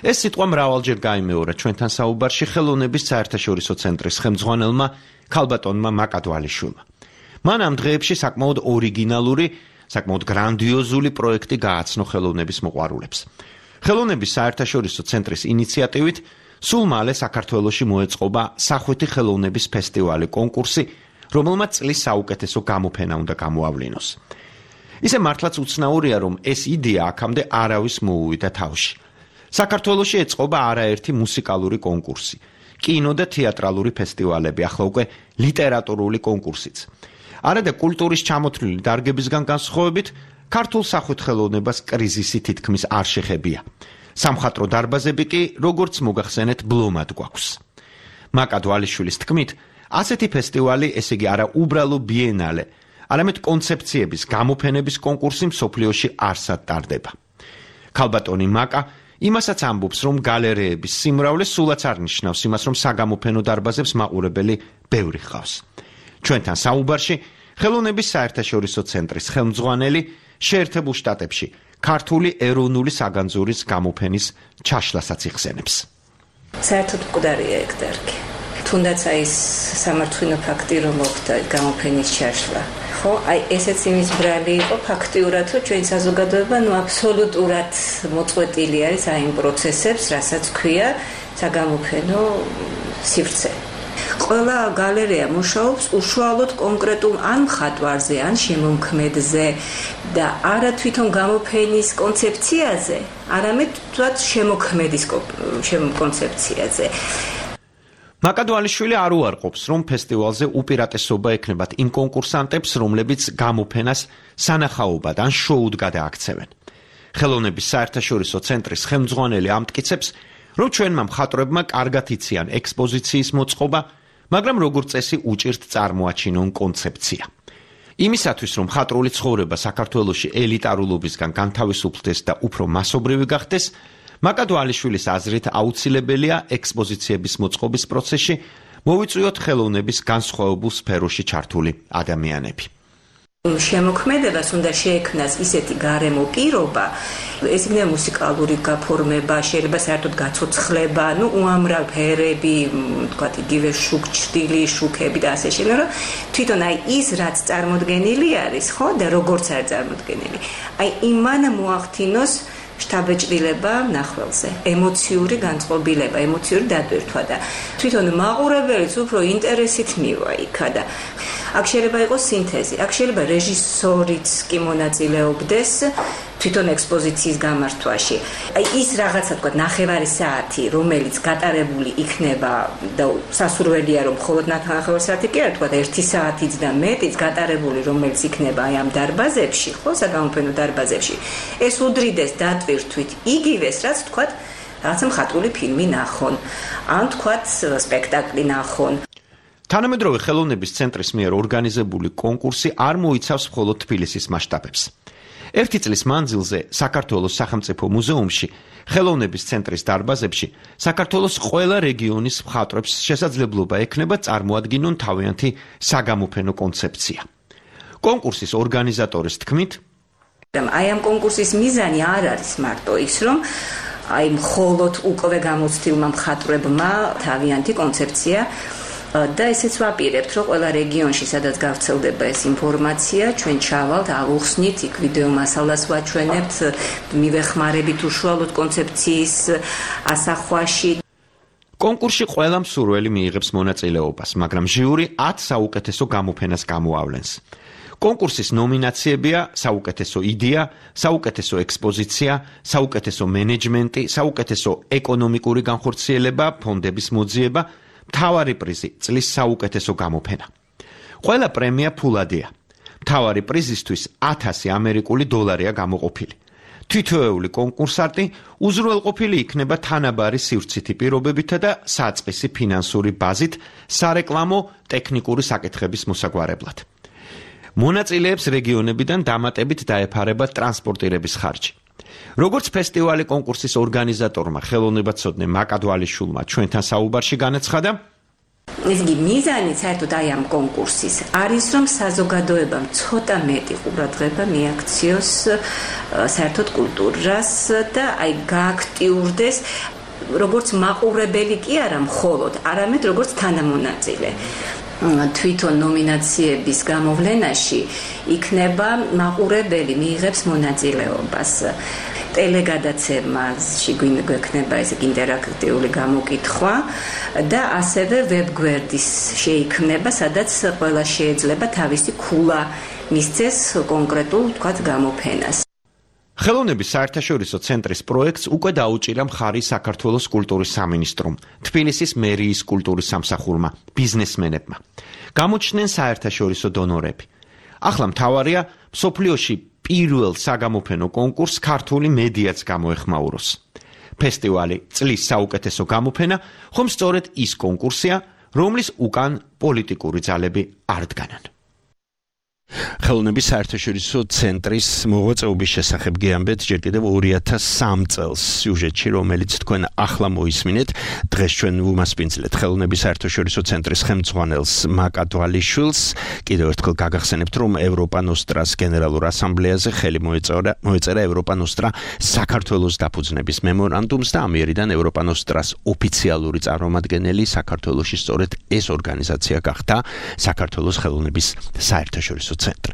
ეს სიტყვა მრავალჯერ გაიმეორა ჩვენთან საუბარში ხელოვნების საერთაშორისო ცენტრის ხელმძღვანელმა ქალბატონმა მაკადვალიშვილმა. მან ამ დღეებში საკმაოდ ორიგინალური, საკმაოდ გრანდიოზული პროექტი გააცნო ხელოვნების მოყვარულებს. ხელოვნების საერთაშორისო ცენტრის ინიციატივით სულ მალე საქართველოში მოეწყობა სახვითი ხელოვნების ფესტივალი კონკურსი, რომელმაც წლის საუკეთესო გამოფენა უნდა გამოავლინოს. ისე მართლაც უცნაურია, რომ ეს იდეა აქამდე არავის მოუვიდა თავში. საქართველოში ეწყობა არაერთი მუსიკალური კონკურსი, კინო და თეატრალური ფესტივალები, ახლა უკვე ლიტერატურული კონკურსიც. არადა კულტურის ჩამოთვლილი დარგებისგან განსხვავებით, ქართულ სახვით ხელოვნებას კრიზისი თითქმის არ შეხებია. სამხატვრო დარბაზები კი, როგორც მოგახსენეთ, ბლომად გვაქვს. მაკადვალიშვილის თქმით, ასეთი ფესტივალი, ესე იგი არა უბრალო ბიენალე, არამედ კონცეფციების გამოფენების კონკურსი მსოფლიოში არსად ტარდება. ქალბატონი მაკა იმასაც ამბობს, რომ გალერეების სიმრავლე სულაც არ ნიშნავს იმას, რომ საგამოფენო დარბაზებს მაყურებელი ბევრი ჰყავს. ჩვენთან საუბარში ხელოვნების საერთაშორისო ცენტრის ხელმძღვანელი შეერთებულ შტატებში ქართული ეროვნული საგანძურის გამოფენის ჩაშლასაც იხსენებს. საერთოდ მკვდარია ეგ დარგი. თუნდაც აი ეს სამართლინო ფაქტი რომ მოხდა გამოფენის ჩაშლა. ხო, აი ესეც იმის ბრალი იყო ფაქტიურად, რომ ჩვენ საზოგადოება ნუ აბსოლუტურად მოწყვეტილი არის აი იმ პროცესებს, რასაც ქვია საგამოფენო სივრცე. ყველა გალერეა მუშაობს უშუალოდ კონკრეტულ ან მხატვარზე, ან შემომქმედზე და არა თვითონ გამოფენის კონცეფციაზე, არამედ თვათ შემოქმედის კონცეფციაზე. მაკადვალიშვილი არ უარყოფს, რომ ფესტივალზე უპირატესობა ექნებათ იმ კონკურსანტებს, რომლებიც გამოფენას სანახაობად ან შოუდ გადააქცევენ. ხელოვნების საერთაშორისო ცენტრის ხელმძღვანელი ამტკიცებს, რომ ჩვენმა მხატვრებმა კარგად იციან ექსპოზიციის მოწყობა, მაგრამ როგორც წესი უჭირთ წარმოაჩინონ კონცეფცია. იმისათვის, რომ მხატვრული ცხოვრება საქართველოში ელიტარულობისგან განთავისუფლდეს და უფრო მასობრივი გახდეს, მაკადვალიშვილის აზრით აუცილებელია ექსპოზიციების მოწყობის პროცესში მოვიწვიოთ ხელოვნების განსხვავებულ სფეროში ჩართული ადამიანები. შემოქმედებას უნდა შეექმნას ისეთი გარემო პირობა, ეს იქნება მუსიკალური გაფორმება, შეიძლება საერთოდ გაცოცხლება, ნუ უამრავ ფერები, თქვათ იგივე შუქჭდილი, შუქები და ასე შემდეგ, რომ თვითონ აი ის რაც წარმოდგენილი არის, ხო, და როგორც არის წარმოდგენილი, აი იმან მოახდინოს შთაბეჭდილება ნახველზე, ემოციური განწყობილება, ემოციური დატვირთვა და თვითონ მაყურებელიც უფრო ინტერესით მივა იქა და აქ შეიძლება იყოს სინთეზი, აქ შეიძლება რეჟისორიც კი მონაწილეობდეს თვითონ ექსპოზიციის გამართვაში. აი ის რაღაცა თქვა ნახევარი საათი, რომელიც გატარებული იქნება და სასურველია რომ მხოლოდ ნახევარი საათი კი არა, თქვა ერთი საათიც და მეტიც გატარებული რომელიც იქნება აი ამ დარბაზებში, ხო, საგამოფენო დარბაზებში. ეს უდრიდეს დატვირთვით იგივეს, რაც თქვა რაღაცა მხატვრული ფილმი ნახონ, ან თქვა სპექტაკლი ნახონ. თანამედროვე ხელოვნების ცენტრის მიერ ორგანიზებული კონკურსი არ მოიცავს მხოლოდ თბილისის მასშტაბებს. ერთი წლის მანძილზე საქართველოს სახელმწიფო მუზეუმში, ხელოვნების ცენტრის დარბაზებში საქართველოს ყველა რეგიონის მხატვრებს შესაძლებლობა ექნება წარმოადგინონ თავიანთი საგამოფენო კონცეფცია. კონკურსის ორგანიზატორის თქმით, აი ამ კონკურსის მიზანი არ არის მარტო ის, რომ აი მხოლოდ უკვე გამოცდილმა მხატვრებმა თავიანთი კონცეფცია და ესეც ვაპირებთ, რომ ყველა რეგიონში, სადაც გავრცელდება ეს ინფორმაცია, ჩვენ ჩავალთ, ავუხსნით, იქ ვიდეო მასალას ვაჩვენებთ, მივეხმარებით უშუალოდ კონცეფციის ასახვაში. კონკურსში ყველა მსურველი მიიღებს მონაწილეობას, მაგრამ ჟიური ათ საუკეთესო გამოფენას გამოავლენს. კონკურსის ნომინაციებია საუკეთესო იდეა, საუკეთესო ექსპოზიცია, საუკეთესო მენეჯმენტი, საუკეთესო ეკონომიკური განხორციელება, ფონდების მოძიება, მთავარი პრიზი წლის საუკეთესო გამოფენა. ყველა პრემია ფულადია. მთავარი პრიზისთვის ათასი ამერიკული დოლარია გამოყოფილი. თითოეული კონკურსანტი უზრუნველყოფილი იქნება თანაბარი სივრცითი პირობებითა და საწყისი ფინანსური ბაზით სარეკლამო ტექნიკური საკითხების მოსაგვარებლად. მონაწილეებს რეგიონებიდან დამატებით დაეფარება ტრანსპორტირების ხარჯი. როგორც ფესტივალი კონკურსის ორგანიზატორმა ხელოვნებაცოდნე მაკადვალიშვილმა ჩვენთან საუბარში განაცხადა, ეს იგი მიზანი საერთოდ აი ამ კონკურსის არის რომ საზოგადოებამ ცოტა მეტი ყურადღება მიაქციოს საერთოდ კულტურას და აი გააქტიურდეს როგორც მაყურებელი კი არა მხოლოდ, არამედ როგორც თანამონაწილე. თვითონ ნომინაციების გამოვლენაში იქნება მაყურებელი მიიღებს მონაწილეობას. ტელეგადაცემაში გვექნება ეს ინტერაქტიული გამოკითხვა და ასევე ვებგვერდის შეიქმნება, სადაც ყველა შეიძლება თავისი ქულა მისცეს კონკრეტულ თქვათ გამოფენას. ხელოვნების საერთაშორისო ცენტრის პროექტს უკვე დაუჭირა მხარი საქართველოს კულტურის სამინისტრომ, თბილისის მერიის კულტურის სამსახურმა, ბიზნესმენებმა. გამოჩნდნენ საერთაშორისო დონორები. ახლა მთავარია მსოფლიოში პირველ საგამოფენო კონკურსს ქართული მედიაც გამოეხმაუროს. ფესტივალი წლის საუკეთესო გამოფენა ხომ სწორედ ის კონკურსია, რომლის უკან პოლიტიკური ძალები არ დგანან. ხელოვნების საერთაშორისო ცენტრის მოღვაწეობის შესახებ გეამბეთ ჯერ კიდევ ორი ათას სამი წელს სიუჟეტში, რომელიც თქვენ ახლა მოისმინეთ. დღეს ჩვენ ვუმასპინძლეთ ხელოვნების საერთაშორისო ცენტრის ხელმძღვანელს მაკა დვალიშვილს. კიდევ ერთხელ გაგახსენებთ, რომ ევროპა ნოსტრას გენერალურ ასამბლეაზე ხელი მოეწერა მოეწერა ევროპა ნოსტრა საქართველოს დაფუძნების მემორანდუმს და ამიერიდან ევროპა ნოსტრას ოფიციალური წარმომადგენელი საქართველოში სწორედ ეს ორგანიზაცია გახდა საქართველოს ხელოვნების საერთაშორისო ცენტრი.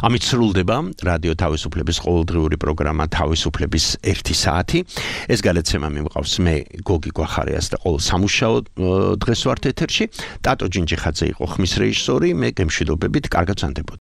ამით სრულდება რადიო თავისუფლების ყოველდღიური პროგრამა თავისუფლების ერთი საათი. ეს გადაცემა მიმყავს მე გოგი გვახარიას და ყოველ სამუშაო დღეს ვართ ეთერში. ტატო ჯინჯიხაძე იყო ხმის რეჟისორი, მე გემშვიდობებით, კარგად ვსანდებოდეთ.